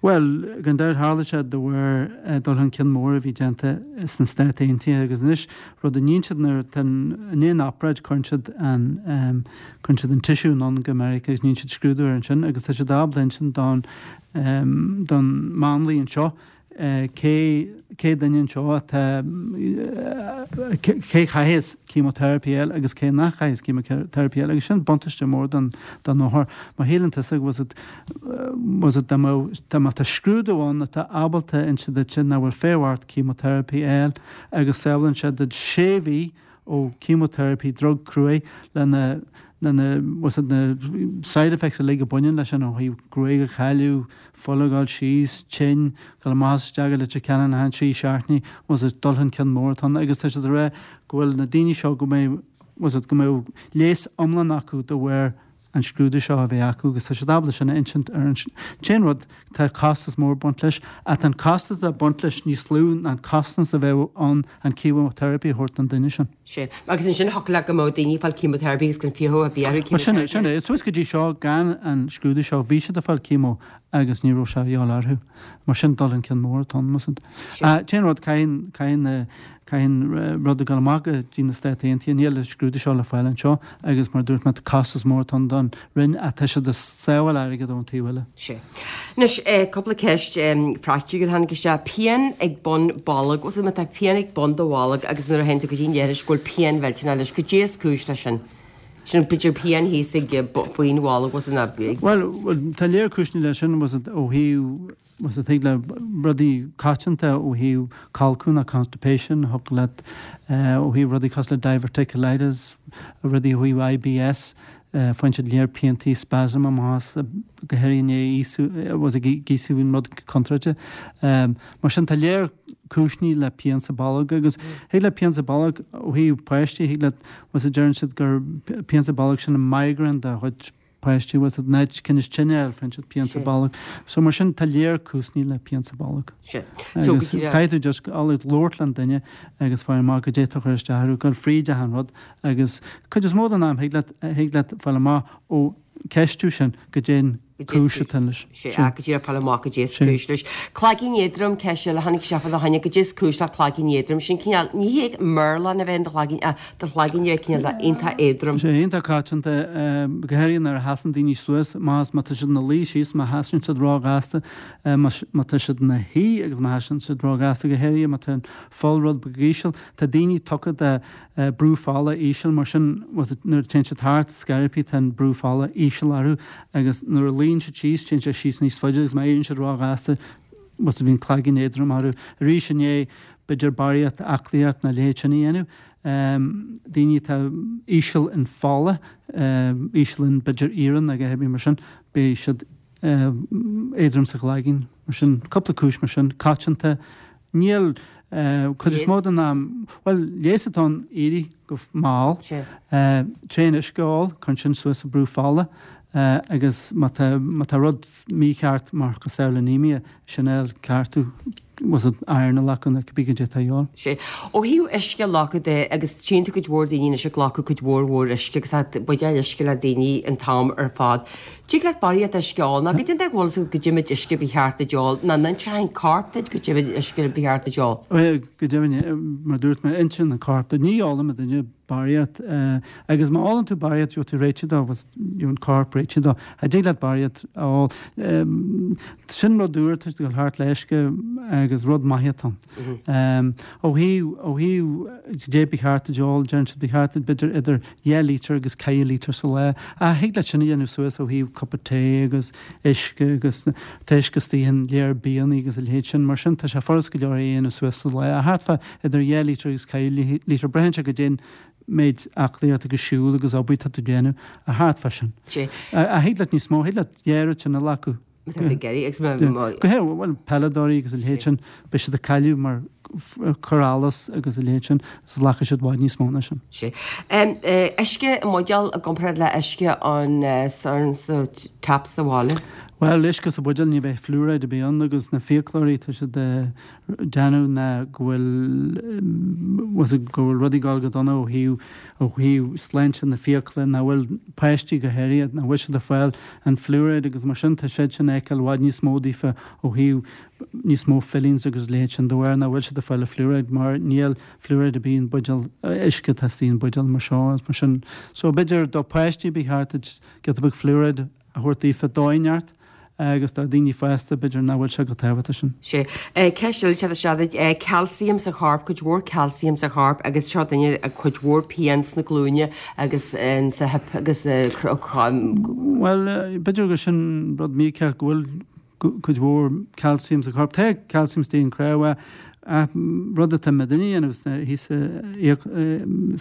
Bhuel, gan dabht tharla sé de bharr dul chun cinn mór a bhí déanta sna Stáit Aontaithe agus anois rud a níonn siad nuair atá i ndiaidh an obráid cuireann siad an cuireann siad an tissue anonn go Meiriceá agus níonn siad scrúdú air ansin agus tá siad ábalta insint don don máinlia anseo cé cé duine anseo atá cé chaithfeas chemotherapy a fháil agus cé nach chaithfeas chemotherapy a fháil agus sin buntáiste mór don don othar mar shíleann tusa was it was it dá mbeadh dá mbeadh tá scrúdú ann atá ábalta inse duit nach bhfuil feidhm ort chemotherapy a fháil agus sábhálann sé duit sé mhí ó chemotherapy drug cruaidh lena na was it na side effects uilig a bhaineann leis sin ó thaobh gruaig a chailleadh, fuil a ghabháil síos, tinn, dul amach is isteach i Leitir Ceanainn achan trí seachtainí, was it dul chun cinn mór atá ann agus tá siad ag rá go bhfuil na daoine seo go mbeidh was it go mbeidh leigheas iomlán acu de bharr an scrúdú seo a bheith acu agus tá siad ábalta sin a insint ar an t-aon rud tá costas mór baint leis ach tá an costas atá baint leis níos lú ná an costas a bheadh ann an chemotherapy a thabhairt don duine sin. Sé. Agus ansin thiocfadh leat go mbeadh daoine ag fáil chemotherapy agus gan fiachadh ar bith orthu Sin é, sin é. Suas go dtí seo gan an scrúdú seo bhí siad ag fáil chemo agus ní raibh sé a dhíobháil orthu. Mar sin dul chun cinn mór atá ann, más ea. T-aon rud caithfidh caithfidh caithfidh rud a ghabháil amach go dtí na Stáit Aontaithe, níl an scrúdú seo le fáil anseo agus mar a dúirt mé tá costas mór atá ann don Roinn ach tá siad ag sábháil airgead ón taobh eile. Sé. Anois cúpla ceist phraiticiúil a tháinig isteach. Pian ag bun bolg, bhfuil má tá pian ag bun do bholg agus nuair a théann tú go dtí an leithreas go bhfuil pian mhillteanach leis, cad é is cúis leis sin? Sin b'fhéidir pian thíos ag faoin bholg, bhfuil sin Bhuel, tá léir cúiseanna leis sin, was it ó thaobh was it thig le rudaí coitianta ó thaobh colcadh nó constipation, thiocfadh leat ó thaobh rudaí cosúil le diverticulitis, rudaí ó thaobh IBS, faigheann siad léir piantaí spasm amach as go háirithe i ndiaidh íosú was ag íosú an rud contráilte. Mar sin tá léir cúiseanna le pian sa bolg agus thig le pian sa bolg ó thaobh páistí thig le was it deireann siad gur pian sa bolg sin an migraine de chuid páistí was it an áit tinneas tine faigheann siad pian sa bolg. So mar sin tá léir cúiseanna le pian sa bolg. Agus caithfidh tú just labhairt le an duine agus fáil amach goidé atá ag cur isteach orthu, gabháil fríd achan rud agus cuid is mó den am thig leat thig leat fáil amach ó ceistiú sin goidé an cúis atá leis. Sé go dtí fáil amach goidé is cúis leis. Cloigeann éadrom ceist eile tháinig isteach fá choinne goidé is cúis le cloigeann éadrom sin cineál ní hé meirleán a bheith in do chloigeann ach do chloigeann é cineál iontach éadrom. Sé iontach coitianta go háirithe nuair a sheasann daoine suas más má tá siad ina luí síos má sheasann siad róghasta má tá siad ina shuí agus má sheasann siad róghasta go háirithe má tá an fuil rud beag íseal tá daoine tugtha de brú fola íseal mar sin nuair a téann siad thart scaití tá an brú fola íseal orthu agus nuair a luíonn siad síos téann sé síos níos faide agus má éiríonn siad róghasta was bhíonn cloigeann éadrom orthu. Arís i ndiaidh b'fhéidir barraíocht aclaíocht nó a leithéid sin a dhéanamh. Daoine atá íseal in fola, íseal in b'fhéidir iarann agus a leithéid mar sin, beidh siad éadrom sa chloigeann mar sin, cúpla cúis mar sin, coitianta. Níl cuid is mó den am, bhuel, leigheas atá ann éirí go mall, tréan uisce a ól, cuireann sin suas an brú fola agus má tá má tá rud mícheart mar cosúil le anemia, sin é ceartú was it iron a ghlacadh nó cibé goidé atá a dhíobháil. Sé. Ó thaobh uisce a ghlacadh de agus tchíonn tú cuid mhór daoine anois ag glacadh cuid mhór mhór uisce agus tá buidéal uisce le daoine an t-am ar fad. Tig leat barraíocht uisce a ól nó goidé an dóigh a bhfuil a fhios agat goidé méid uisce ba cheart duit ól nó an inseoidh an corp duit goidé méid uisce ba cheart duit ól. Bhuel, go deimhin, mar a dúirt mé, insíonn an corp duit. Ní ólann duine barraíocht agus má ólann tú barraíocht gheobhaidh tú réitithe dó agus gheobhaidh an corp réitithe dó. Cha dtig leat barraíocht a ól. Sin rud úr atá ag dul thart le uisce agus rud maith atá ann. Ó thaobh ó thaobh goidé ba cheart duit ól, deireann siad ba cheart duit b'fhéidir idir dhá lítear agus ceithre lítear sa lá. Ach thig leat sin a dhéanamh suas ó thaobh cupa tae agus uisce agus tá uisce istigh in léar bianna agus a leithéid sin. Mar sin tá sé furast go leor é a dhéanamh suas sa lá. Ach thart fá idir dhá lítear agus ceithre lítear. Braitheann sé goidé an méid aclaíocht agus siúl agus obair atá tú ag déanamh ach thart fá sin. Ach thig leat níos mó, thig leat dhá oiread sin a ghlacadh. Má tá tú ag iarraidh agus má. Go háirithe, bhuel, peileadóirí agus a leithéid sin, beidh siad ag cailleadh mar cur allas agus a leithéid sin, so glacfaidh siad i bhfad níos mó ná sin. Sé. Uisce i mbuidéal i gcomparáid le uisce an sa tap sa bhaile? Bhuel, uisce sa bhuidéal ní bheidh fluoride ar bith ann agus na fiaclóirí tá siad ag déanamh ná go bhfuil bhfuil go bhfuil rudaí ag dul go dona ó thaobh ó thaobh sláinte na fiacla nach bhfuil páistí go háirithe nach bhfuil siad ag fáil an fluoride agus mar sin tá siad sin ag feiceáil i bhfad níos mó daofa ó thaobh níos mó fillings agus leithéid sin de bharr nach bhfuil siad ag fáil an fluoride mar níl fluoride ar bith in buidéal uisce atá istigh in buidéal mar seo agus mar sin so b'fhéidir do páistí ba cheart duit giota beag fluoride a thabhairt daofa dóigh inteacht agus do daoine fásta b'fhéidir nach bhfuil sé go tábhachtach sin. Sé. Ceist eile teacht isteach duit, calcium sa chorp, cuid mhór calcium sa chorp agus seo duine ag cuid mhór pian sna glúine agus sa hip agus. Bhuel, b'fhéidir gur sin rud mícheart go bhfuil cuid mhór calcium sa chorp. Tá calcium istigh in cnámha ach rud atá muidinne a dhéanamh thíos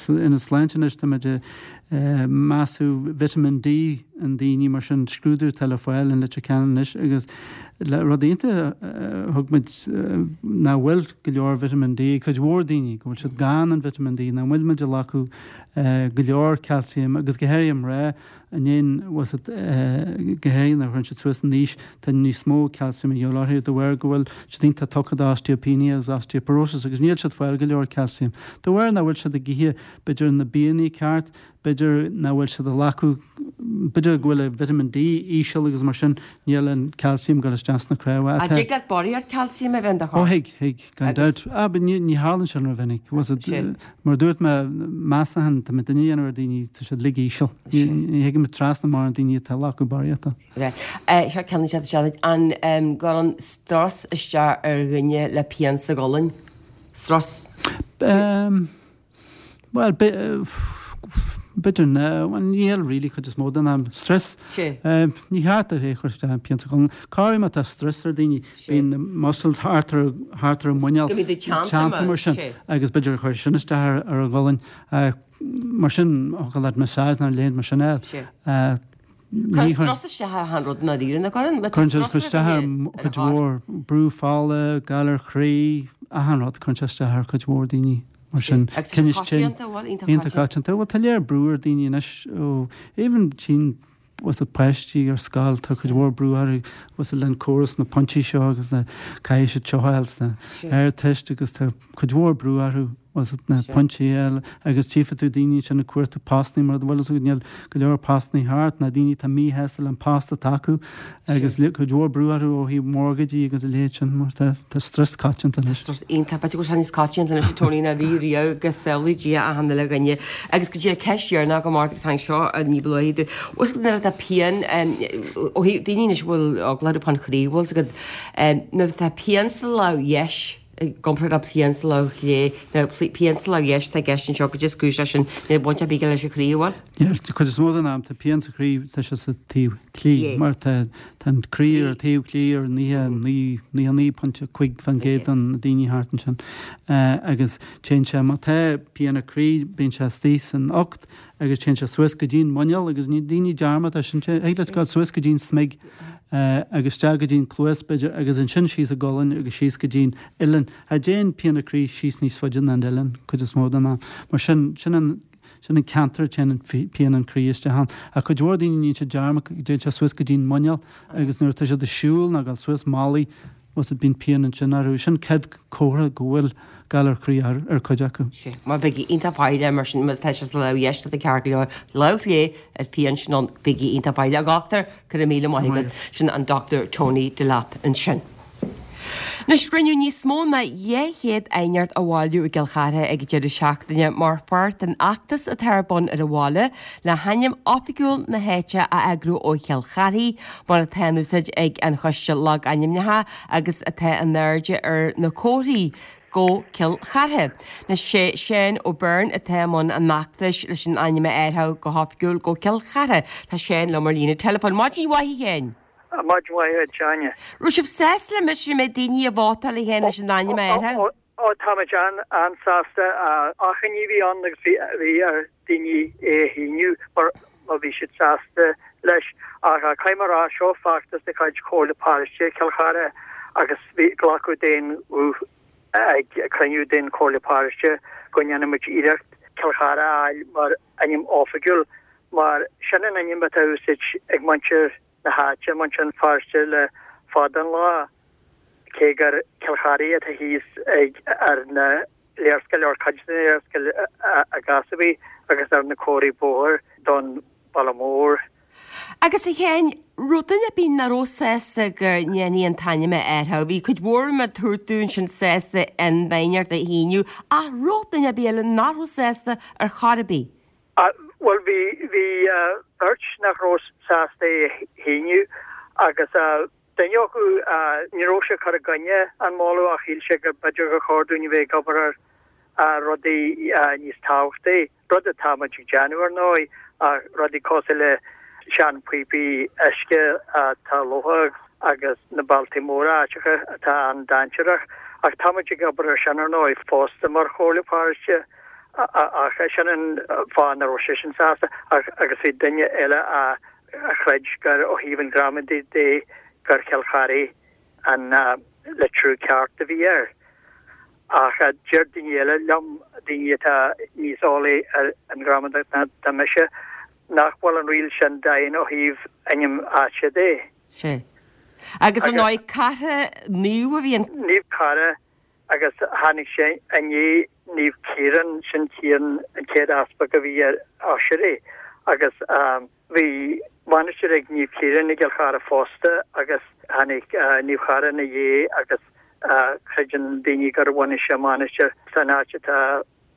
ina sláinte anois tá muid ag measú vitamin D in daoine mar sin scrúdú atá le fáil in Leitir Ceanainn anois agus rud iontach a thug muid nach bhfuil go leor vitamin D ag cuid mhór daoine go bhfuil siad gann an vitamin D nach bhfuil muid ag glacadh go leor calcium agus go háirithe mná i ndiaidh go háirithe nuair a chuireann siad suas in aois tá níos mó calcium a dhíobháil orthu de bharr go bhfuil siad iontach tugtha d'osteopenia agus osteoporosis agus níl siad fáil go leor calcium. De bharr nach bhfuil siad ag ithe b'fhéidir na bianna ceart, b'fhéidir nach bhfuil siad ag glacadh b'fhéidir go bhfuil a vitamin D íseal agus mar sin níl an calcium ag dul isteach sna cnámha. An dtig leat barraíocht calcium a bheith in do chorp? Ó thig, thig, gan dabht. Ah, but ní ní tharlaíonn sin rómhinic. Was it, mar dúirt mé, measachán tá muidinne a dhéanamh ar daoine, tá siad uilig íseal. Ní ní thigim trasna mórán daoine atá ag glacadh barraíochta. Seo ceann eile isteach an gcuireann strus isteach ar dhuine le pian sa gcolainn? Strus? Bhuel, b'fhéidir ná, bhuel níl really cuid is mó den am. Strus? Ní cheart é a chur isteach an pian sa cholainn. Corruair má tá strus ar daoine, bíonn na muscles thart ar thart ar a muineál teannta mar sin agus b'fhéidir gur chuir sin isteach ar a gcolainn. Mar sin, thiocfadh leat massage nó a leithéid mar sin a fháil. Ní Cuireann strus isteach ar achan rud i ndáiríre, nach gcuireann? Cuireann sé isteach ar chuid mhór, brú fola, galar chroí, achan rud, cuireann sé isteach ar chuid mhór daoine mar sin. Agus tá sé coitianta, bhfuil? Iontach Iontach coitianta. Bhuel, tá léir brú ar daoine anois ó even tchíonn bhfuil a fhios agat páistí ar scoil, tá cuid mhór brú orthu, bhfuil a fhios agat le córas na pointí seo agus na caithfidh siad seo a fháil sna Ardteist agus tá cuid mhór brú orthu. bhfuil a fhios agat na pointí a fháil agus tchífidh tú daoine ansin ag cuartú postanna mar bhfuil a fhios agat níl go leor postanna thart ná daoine atá míshásta le an post atá acu agus cuid mhór brú orthu ó thaobh mortgageí agus a leithéid sin mar tá tá strus coitianta anois. Strus iontach, b'fhéidir go bhfuil sé níos coitianta anois a Tony ná bhí riamh go samhlaí Dia achan uile dhuine. Agus go dtí an ceist dheireanach go Mark agus tháinig seo ní ba luaithe bhfuil a fhios agat nuair atá pian ó thaobh daoine anois a bhfuil eagla orthu fán chroí bhfuil a fhios agat nuair atá pian sa lámh dheis i gcomparáid le pian sa lámh chlé, nó pian sa lámh dheis atá i gceist anseo, goidé is cúis leis sin, níl baint ar bith aige leis an chroí, an bhfuil? Níl, cuid is mó den am tá pian sa chroí, tá sé sa taobh clí, mar tá an croí ar an taobh clí ar naocha naoi, naocha naoi pointe cúig faoin gcéad de na daoine thart ansin agus téann sé, má tá pian an chroí, bíonn sé istigh san ucht agus téann sé suas go dtí'n muineál agus ní daoine dearmad é sin, thig leat gabháil suas go dtí'n smig agus isteach go dtí'n cluas b'fhéidir agus ansin síos an gcolainn agus síos go dtí'n uillinn. Cha dtéann pian an chroí síos níos faide ná an uillinn cuid is mó den am. Mar sin, sin an, sin an ceantar a téann pian an chroí isteach ann. Ach cuid mhór daoine níonn siad dearmad go dtéann sé suas go dtí'n muineál agus nuair atá siad ag siúl nó ag dul suas malaí, bhfuil a fhios agat bíonn pian ansin orthu. Sin céad comhartha go bhfuil galar croí ar cuid acu. Sea, mar bígí iontach foighdeach mar sin, má tá sé sa lámh dheis tá tú ceart go leor, lámh chlé an phian sin ann, bígí iontach foighdeach. A dhochtúir, go raibh míle maith agat. Sin an Dochtúir Tony Delap ansin. Anois, rinneadh níos mó ná dhá chéad aighneacht a bhailiú i gCill Chartha ag an deireadh seachtaine mar pháirt den fheachtas atá ar bun ar an bhaile le hainm oifigiúil na háite a eagrú ó Chill Charthaigh mar atá in úsáid ag an Choiste Logainmneacha agus atá in airde ar na comharthaí go Cill Chartha. Anois sé Seán Ó Beirn atá i mbun an fheachtais leis an ainm a athrú go hoifigiúil go Cill Chartha. Tá Seán liom ar líne teileafóin. Maidin mhaith a Sheáin! Maidin mhaith a Áine. Raibh sibh sásta le mise go mbeidh daoine ag vótáil a Sheáin leis an ainm a athrú? Ó táimid an-sásta. Achainí a bhí ann agus bhí ar daoine é a shíniú mar má bhí siad sásta leis. Ach caithfidh mé a rá, seo feachtas de chuid Chomhairle Paróiste Chill Chartha agus bhí glacadh d'aon ghuth ag cruinniú den Chomhairle Paróiste go ndéanfaimid iarracht Cill Chartha a fháil mar ainm oifigiúil mar sin an ainm atá á úsáid ag muintir na háite Muintir Feirste le fada an lá, cé gur Cill Charthaigh atá thíos ag ar na léarscáil ar cuid den léarscáil i gcás ar bith agus ar na comharthaí bóthair don bhaile mór. Agus a Sheáin, raibh duine ar bith nach raibh sásta go ndéanfaí an t-ainm a athrú. Bhí cuid mhór mar dúirt tú ansin sásta an aighneacht a shíniú ach raibh duine ar bith eile nach raibh sásta ar chor ar bith? Bhuel bhí bhí beirt nach raibh sásta é a shíniú agus duine acu ní raibh sé ag cur i gcoinne an moladh ach shíl sé go b'fhéidir gur chóir dúinn a bheith ag obair ar rudaí níos tábhachtaí, rud atá muid ag déanamh ar ndóigh, ach rudaí cosúil le seanphíopaí uisce atá lofa agus na bealtaí móra áiteacha atá an-dainséarach. Ach tá muid ag obair ar sin ar ndóigh fosta mar Chomhairle Paróiste ach sin an fáth nach raibh seisean sásta ach agus bhí duine eile a chreid gur ó thaobh an ghramadaí de gur Cill Charthaigh an litriú ceart a bhí air. Ach deir daoine eile liom, daoine atá níos eolaí ar an ghramadach ná mise, nach bhfuil an riail sin daingean ó thaobh ainm áite de. Sea. Agus ar ndóigh Cartha naomh a bhí an. Naomh Cartha agus tháinig sé i ndiaidh Naomh Ciarán, sin Ciarán an chéad easpag a bhí ar Ossory agus bhí mainistir ag Naomh Ciarán i gCill Chartha fosta agus tháinig Naomh Cartha ina dhiaidh agus creideann daoine gur bhunaigh sé mainistir san áit atá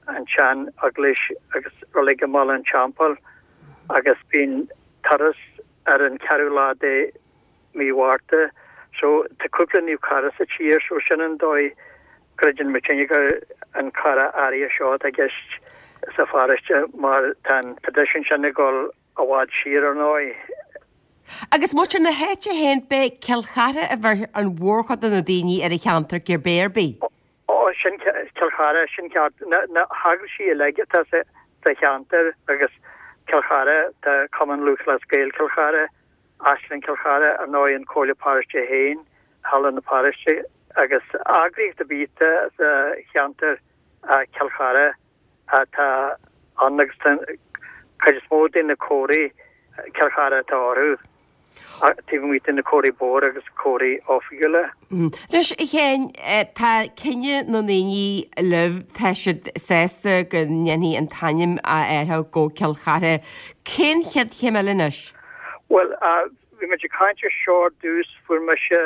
an tsean eaglais agus reilig i mBaile an Teampaill agus bíonn turas ar an ceathrú lá de mí Mhárta. So tá cúpla Naomh Cartha sa tír so sin an dóigh creideann muidinne gur an Cartha áirithe seo atá i gceist sa pharóiste mar tá an traidisiún sin ag dul i bhfad siar ar ndóigh. Agus muintir na háite féin, b'é Cill Chartha a bheir an mhórchuid de na daoine ar an cheantar cibé ar bith. Ó, sin Cill Chartha, sin ceart. Na, na heaglaisí uilig atá sa, sa cheantar agus Cill Chartha, tá Cumann Lúthchleas Gael Cill Chartha, Áislann Chill Chartha, ar ndóigh an Comhairle Paróiste féin, Halla na Paróiste agus eagraíocht ar bith atá sa cheantar Cill Chartha atá ann agus tá an cuid is mó de na comharthaí Cill Chartha atá orthu, taobh amuigh de na comharthaí bóthair agus comharthaí oifigiúla. Anois, a Sheáin, tá cinneadh na ndaoine libh, tá siad sásta go ndéanfaí an t-ainm a athrú go Cill Chartha. Cén chéad chéim eile anois? Bhuel, bhí muid ag caint ar seo ar dtús, fuair mise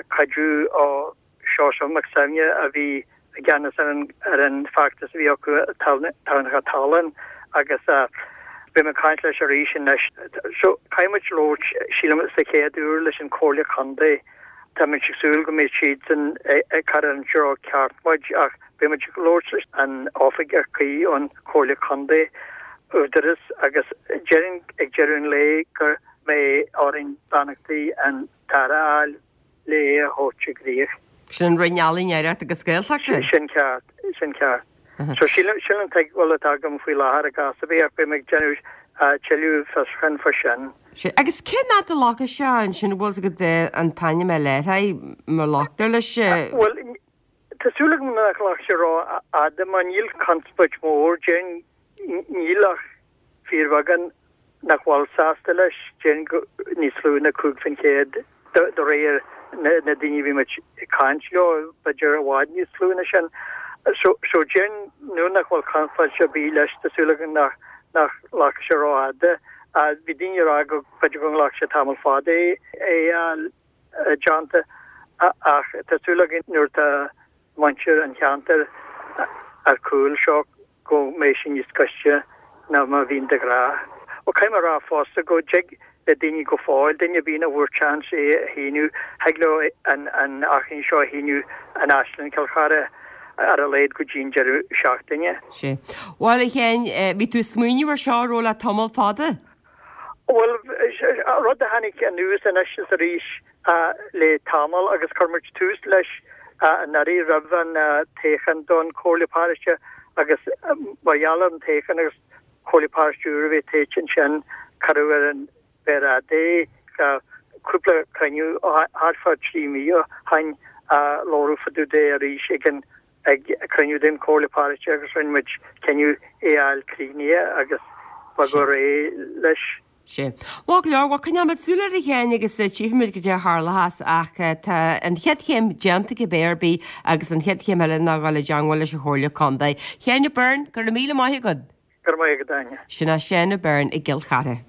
cuidiú ó Seosamh Mac Suibhne a bhí i gceannas ar an ar an feachtas a bhí acu Tamhnachta Tallann agus beidh mé ag caint leis arís anois. So caithfidh muid labhairt, sílim, sa chéad uair leis an Chomhairle Contae. Tá muid ag súil go mbeidh siadsan ag cur ar an treo ceart muid ach beidh muid ag labhairt leis an oifigeach cuí ón Chomhairle Contae, Údarás, agus déarfainn ag deireadh an lae go mbeidh orainn beannachtaí an tAire a fháil le é a thabhairt i gcrích. Sin an Roinn Ealaíon, Oidhreachta agus Gaeltachta? Sin ceart, sin ceart. So sin an tuigbheáil atá agam faoi láthair i gcás ar bith ach beidh mé ag déanamh tuilleadh fiosrúcháin faoi sin. Sea. Agus cén fhad a ghlacfaidh sé ansin, bhfuil 's agat an t-ainm a athrú, má ghlactar leis? Bhuel, tá súil agam nach nglacfaidh sé rófhada mar níl conspóid mhór, déarfainn Níl ach fíorbheagán nach bhfuil sásta leis, déarfainn go níos lú ná cúig faoin chéad de réir na daoine a bhí muid ag caint leo, b'fhéidir i bhfad níos lú ná sin. So déarfainn nuair nach bhfuil conspóid ar bith leis, tá súil agam nach nglacfaidh sé rófhada. Bhí daoine ag rá go b'fhéidir go nglacfaidh sé tamall fada é a fháil déanta ach tá súil againn nuair atá muintir an cheantair ar chúl seo go mbeidh sé níos gaiste ná mar a bhíonn de ghnáth. Ó caithfidh mé a rá fosta go dtig le daoine go fóill, duine ar bith nach bhfuair seans é a shíniú, thig leo an an achainí seo a shíniú in Áislann Chill Chartha ar a laghad go dtí an deireadh seachtaine. Sea. Bhuel, a Sheáin, bhí tú ag smaoineamh ar seo an raibh le tamall fada? Bhuel, rud a tháinig anuas anois is arís le tamall agus chuir muid tús leis anuraidh roimh an toghchán don Chomhairle Paróiste agus mar gheall ar an toghchán agus Comhairle Paróiste úr a bhí tofa ansin cuireadh ar an mhéar fhada é. Cúpla cruinniú thart fá trí mhí ó shin a labhradh fá dtaobh de arís ag an ag cruinniú den Chomhairle Paróiste agus rinne muid cinneadh é a fháil críochnaithe agus bogadh ar aghaidh leis. Sé. Maith go leor, bhuel coinneoimid súil air a Sheáin agus tchífimid goidé a tharlóchas ach tá an chéad chéim déanta cibé ar bith agus an chéad chéim eile ná dhul i dteangmháil leis an Chomhairle Contae. Sheáin O'Byrne, go raibh míle maith agat. Go raibh maith agat, Áine. Sin é Seán O'Byrne i gCill Chartha.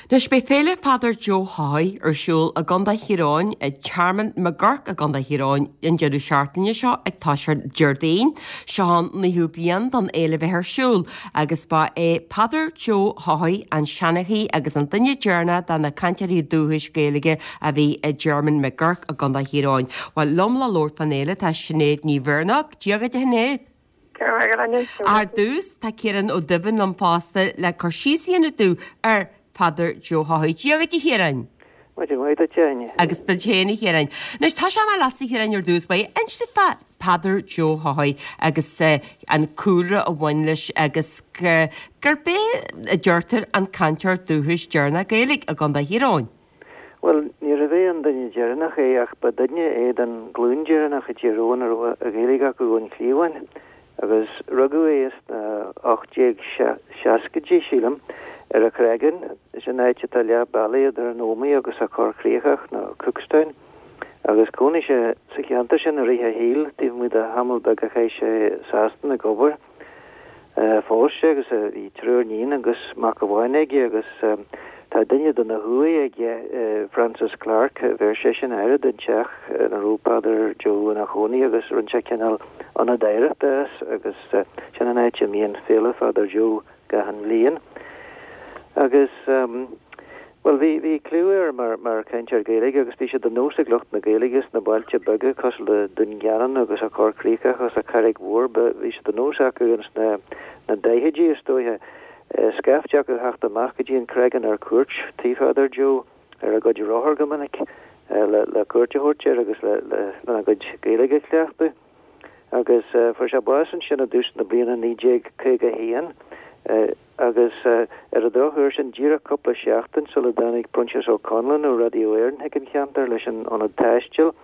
Anois beidh Féile Pheadair Joe Haughey ar siúl i gContae Thír Eoghain, i Tearmann McGurk i gContae Thír Eoghain an deireadh seachtaine seo ag toiseacht Déardaoin. Seo an naoú bliain don fhéile bheith ar siúl agus ba é Peadar Joe Haughey an seanchaí agus an duine deireanach de na cainteoirí dúchais Gaeilge a bhí i dTearmann McGurk i gContae Thír Eoghain. Bhuel, liom le labhairt fán fhéile tá Sinéad Ní Mhirneach. Dia dhuit a Shinéad. Ar dtús, tá Ciarán Ó Duibhinn liom fosta le cur síos a dhéanamh domh ar Peadar Joe Haughey. Dia dhuit a Chiaráin. Maidin mhaith duit, a Áine. Agus duit féin a Chiaráin. Anois, tosóidh mé leatsa a Chiaráin ar dtús báire. Inis domh fá Peadar Joe Haughey agus an cúlra a bhain leis agus gurb é a deirtear an cainteoir dúchais deireanach Gaeilge i gContae Thír Eoghain. Bhuel, níorbh é an duine deireanach é ach ba duine é den ghlúin deireanach i dTír Eoghain a raibh an Ghaeilge acu ón chliabhán agus rugadh é sna ocht déag seascaidí, sílim, ar an Chreagán, sin áit atá leath bealaigh idir an Ómaigh agus an Chorr Chríochach nó Cookstown, agus chónaigh sé sa cheantar sin i rith a shaoil, taobh amuigh de thamall beag a chaith sé i Sasana ag obair. Phós sé agus bhí triúr níon agus mac amháin aige agus tá duine de na huaigh aige, Francis Clarke, bheir seisean aire don teach ina raibh Peadar Joe ina chónaí agus rinne sé cineál ionad oidhreachta as agus sin an áit a mbíonn Féile Pheadair Joe gach aon bhliain. Agus. Bhuel, bhí, bhí cliú air mar, mar chainteoir Gaeilge agus bhí sé de nós ag lucht na Gaeilge sna bailte beaga cosúil le Dún Geanainn agus an Chorr Chríochach agus an Charraig Mhór, ba, bhí sé de nós acu ins na, na daichidí is dóiche, scaifte acu theacht amach go dtí an Creagán ar cuairt tigh Pheadair Joe ar a gcuid rothar go minic le, le cuairt a thabhairt air agus le, le, lena gcuid Gaeilge a chleachtadh. Agus fuair sé bás ansin i dtús na bliana naoi déag caoga a haon. Agus ar an drochuair, sin díreach cúpla seachtain sula dtáinig Proinsias Ó Conluain ó Radio Éireann chuig an cheantar leis an Ionad Taistil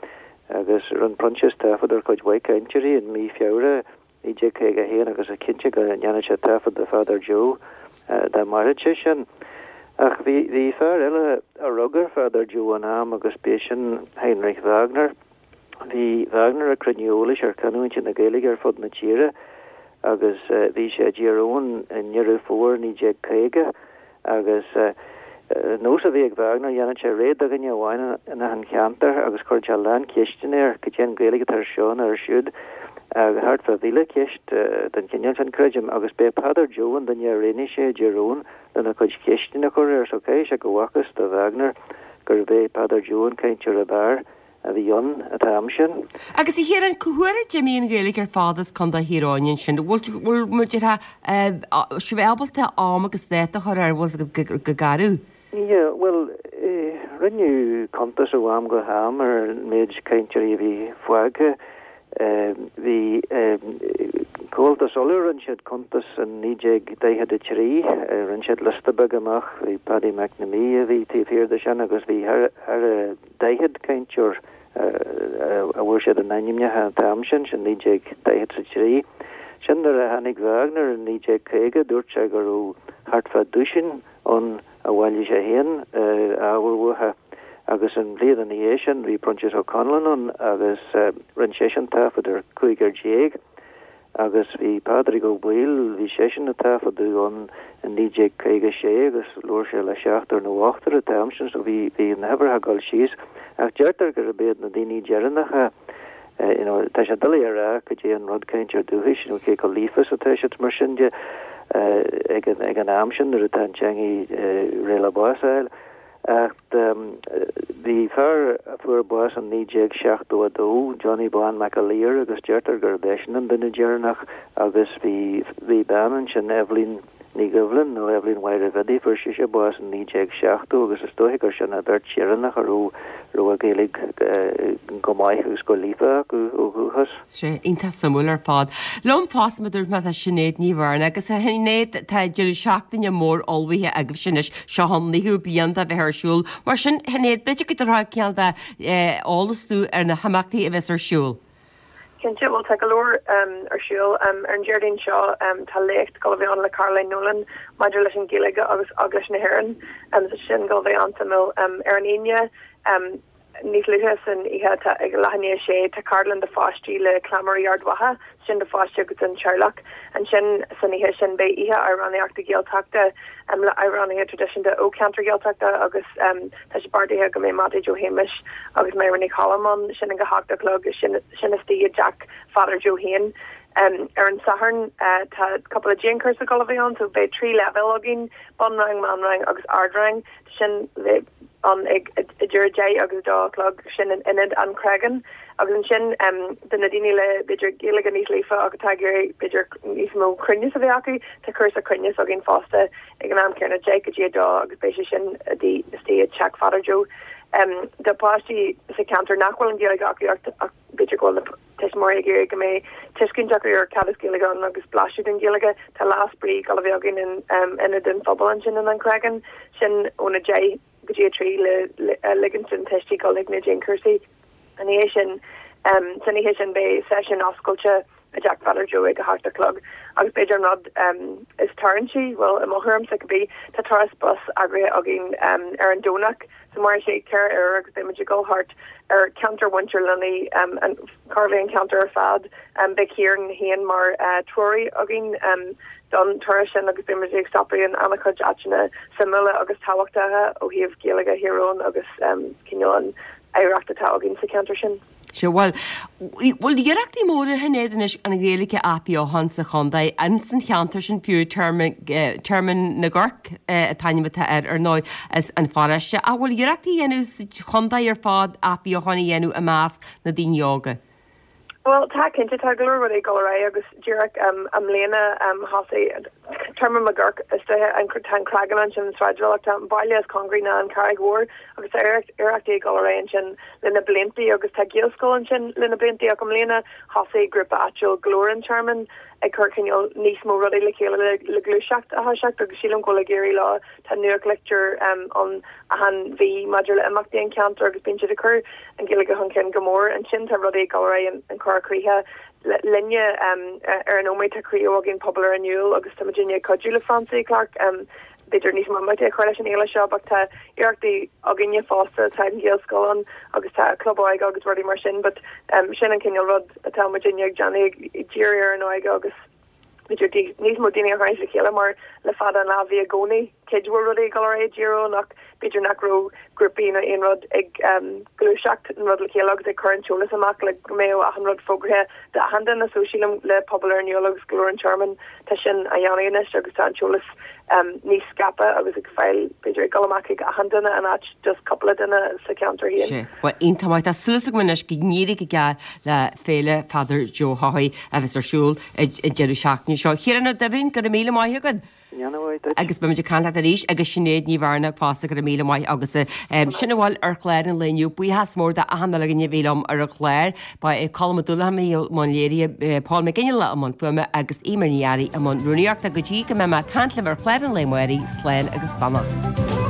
agus rinne Proinsias taifead ar chuid mhaith cainteoirí in mí Feabhra naoi déag caoga a haon agus is cinnte go ndéanfadh sé taifead de Pheadar Joe dá mairfeadh sé sin. Ach bhí bhí fear eile a rug ar Pheadar Joe in am agus b'é sin Heinrich Wagner. Bhí Wagner ag cruinniú eolais ar chanúintí na Gaeilge ar fud na tíre agus bhí sé i dTír Eoghain i nDeireadh Fómhair naoi déag caoga agus nós a bhí ag Wagner, dhéanadh sé réidh do dhuine amháin in achan cheantar agus chuireadh sé a lán ceisteanna air, cad é an Ghaeilge atá ar seo nó ar siúd, thart fá mhíle ceist den chineál sin, creidim, agus b'é Peadar Joe an duine a roghnaigh sé i dTír Eoghain lena chuid ceisteanna a chur air, so caithfidh sé go bhfacthas do Wagner gurbh é Peadar Joe an cainteoir ab fhearr. a bhí ann an t-am sin. Agus a Chiaráin, cá huair a d'imigh an Ghaeilge ar fad as Contae Thír Eoghain ansin? Bhfuil muid sibh ábalta am agus dáta a chur air, bhfuil fhios agat go garbh? Yeah, bhuel, rinneadh cuntas ó am go ham ar an méid cainteoirí a bhí fágtha. Bhí Comhaltas Uladh, rinne siad cuntas in naoi déag daichead a trí, rinne siad liosta beag amach, bhí Paddy McNamee a bhí taobh thiar de sin agus bhí thar a daichead cainteoir a bhfuair siad a n-ainmneacha an t-am sin, sin naoi déag daichead 's a trí. Sin nuair a tháinig Wagner in naoi déag caoga, dúirt sé go raibh thart fá duaisean ann a bhailigh sé féin ábhar uathu agus an bhliain ina dhiaidh sin bhí Proinsias Ó Conluain ann agus rinne seisean taifead ar chúigear déag agus bhí Pádraig Ó Baoill, bhí seisean ag taifeadadh ann in naoi déag caoga a sé agus labhair sé le seachtar nó ochtar an t-am sin so bhí bhí na huimhreacha ag dul síos ach deirtear gurb iad na daoine deireanacha you know, tá sé doiligh a rá cad é an rud cainteoir dúchais, you know, cé chomh líofa is atá siad mar sin de ag an, ag an am sin nuair atá an teangaidh réidh le bás a fháil. Ach bhí fear a fuair bás in naoi déag seachtó a dó, Johnny Bán McAleer, agus deirtear gurb eisean an duine deireanach agus bhí, bhí bean ansin, Eibhlín Ní Dhoibhlin, nó Eibhlín Mháire Bhiddy, fuair sise bás in naoi déag seachtó agus is dóiche gur sin an bheirt dheireanach a raibh raibh a Gaeilge go maith agus go líofa acu ó dhúchas. Sea, iontach suimiúil ar fad. Liom fosta, mar a dúirt mé, tá Sinéad Ní Mhaonaigh agus a Shinéad, tá deireadh seachtaine mór ullmhaithe agaibhse anois, seo an naoú bliain de bheith ar siúl. Mar sin, Shinéad, b'fhéidir go dtabharfá cineál de eolas dúinn ar na himeachtaí a bheas ar siúl. Cinnte bhuel tá go leor ar siúl ar an Déardaoin seo tá léacht ag dul a bheith ann le Caroline Nolan maidir leis an Ghaeilge agus Eaglais na hÉireann so sin ag dul a bheith an-suimiúil ar an Aoine níos luaithe san oíche tá ag leath i ndiaidh a sé tá ceardlann do pháistí le Cleamairí Ard Mhacha sin do pháistí agus don teaghlach. Ansin san oíche sin beidh oíche amhránaíochta Gaeltachta le amhránaithe traidisiúnta ó cheantar Gaeltachta agus tá sé beartaithe go mbeidh Mattie Joe Shéamuis agus Máire Ní Choilm ann, sin ag a hocht a chlog, sin istigh i dteach Pheadair Joe féin. Ar an Satharn tá cúpla dianchúrsa ag dul a bheith ann so beidh trí leibhéal againn, bunrang, meánrang agus ardrang. Sin ann ag idir a deich agus a dó a chlog, sin in Ionad an Chreagáin. Agus ansin do na daoine le b'fhéidir Gaeilge níos líofa ach atá ag iarraidh b'fhéidir níos mó cruinneas a bheith acu, tá cúrsa cruinneas againn fosta ag an am céanna, deich go dtí a dó agus beidh sé sin istigh i dTeach Pheadair Joe. Do pháistí sa cheantar nach bhfuil an Ghaeilge acu ach b'fhéidir go bhfuil na tuismitheoirí ag iarraidh go mbeidh tuiscint acu ar cad is Gaeilge ann agus blaiseadh den Ghaeilge, tá Lá Spraoi ag dul a bheith againn in Ionad an Phobail ansin in An Creagán, sin óna deich go dtí a trí le ligint don tuistí dul chuig na dianchúrsaí. Ina dhiaidh sin, san oíche sin beidh seisiún oscailte i dTeach Pheadair Joe ag a hocht a chlog agus b'fhéidir an rud is tarraingtí, bhuel i mo thuairimse cibé, tá turas bus eagraithe againn ar an Domhnach so mairfidh sé ceithre uair agus beidh muid ag dul thart ar cheantar mhuintir Lunney, an chóir a bheith an ceantar ar fad. Beidh Ciarán féin mar treoraí againn don turas sin agus beidh muid ag stopadh in an-chuid áiteanna suimiúla agus tábhachtacha ó thaobh Gaeilge Thír Eoghain agus cineál an oidhreacht atá againn sa cheantar sin. Sea, bhuel, bhfuil iarrachtaí móra ar siúl anois an Ghaeilge a athbheochan sa chontae, ins an cheantar sin fiú, Tearmann na gCorc an t-ainm atá air, ar ndóigh, as an pharóiste. Ach bhfuil iarrachtaí á dhéanamh sa chontae ar fad athbheochan a dhéanamh i measc na daoine óga? Bhuel, tá cinnte, tá go leor rudaí ag dul ar aghaidh agus díreach i mbliana thosaigh Tearmann na gCorc istigh, tá an Creagán ansin, an sráidbhaile, tá an baile is cóngaraí ná an Charraig Mhór agus tá iarrachtaí ag dul ar aghaidh ansin le na bliantaí agus tá Gaelscoil ansin le na bliantaí ach i mbliana thosaigh grúpa áitiúil Glór an Tearmainn ag cur cineál níos mó rudaí le chéile le le gluaiseacht a thoiseacht agus sílim go bhfuil ag éirí leo, tá nuachtlitir ann achan mhí maidir le imeachtaí an cheantair agus bíonn siad ag cur an Ghaeilge chun cinn go mór. Ansin tá rudaí ag dul ar aghaidh in Corr Chríche linne ar an nóiméad tá craobh againn Pobal ar an Iúl agus tá muidinne ag cuidiú le Francie Clarke b'fhéidir níos mó imeachtaí a chur leis an fhéile seo but tá iarrachtaí againne fosta tá an Ghaelscoil ann agus tá club óige agus rudaí mar sin but sin an cineál rud atá muidinne ag déanamh ag díriú ar an óige agus b'fhéidir níos mó daoine a tharraingt le chéile mar le fada an lá bhí i gcónaí cuid mhór rudaí ag dul ar aghaidh i dTír Eoghain ach b'fhéidir nach raibh grúpaí nó aon rud ag gluaiseacht an rud le chéile agus ag cur an t-eolas amach le go mbeadh achan rud fógraithe d'achan duine so sílim le Pobal ar an Iúl agus Glór an Tearmainn tá sin á dhéanamh anois agus tá an t-eolas níos scaipthe agus ag fáil b'fhéidir ag dul amach ag achan duine in áit just cúpla duine sa cheantar féin. Sea, bhuel iontach maith. Tá súil agam anois go n-éireoidh go geal le Féile Pheadair Joe Haughey a bheas ar siúl an deireadh seachtaine seo. Ciarán Ó Duibhín, go raibh míle maith agat. Agus beimid ag caint leat arís agus Sinéad Ní Mhaonaigh fosta go raibh míle maith agatsa. Sin a bhfuil ar chlár an lae inniu. Buíochas mór d'achan duine a bhí liom ar an chlár. Ba é Colm Ó Dúlacháin a bhí i mbun léirithe, Paul Mac Fhionnghaile i mbun fuaime agus Eimear Ní Fhearraigh i mbun rúnaíochta. Go dtí go mbeidh mé ag caint libh ar chlár an lae amárach, slán agus beannacht.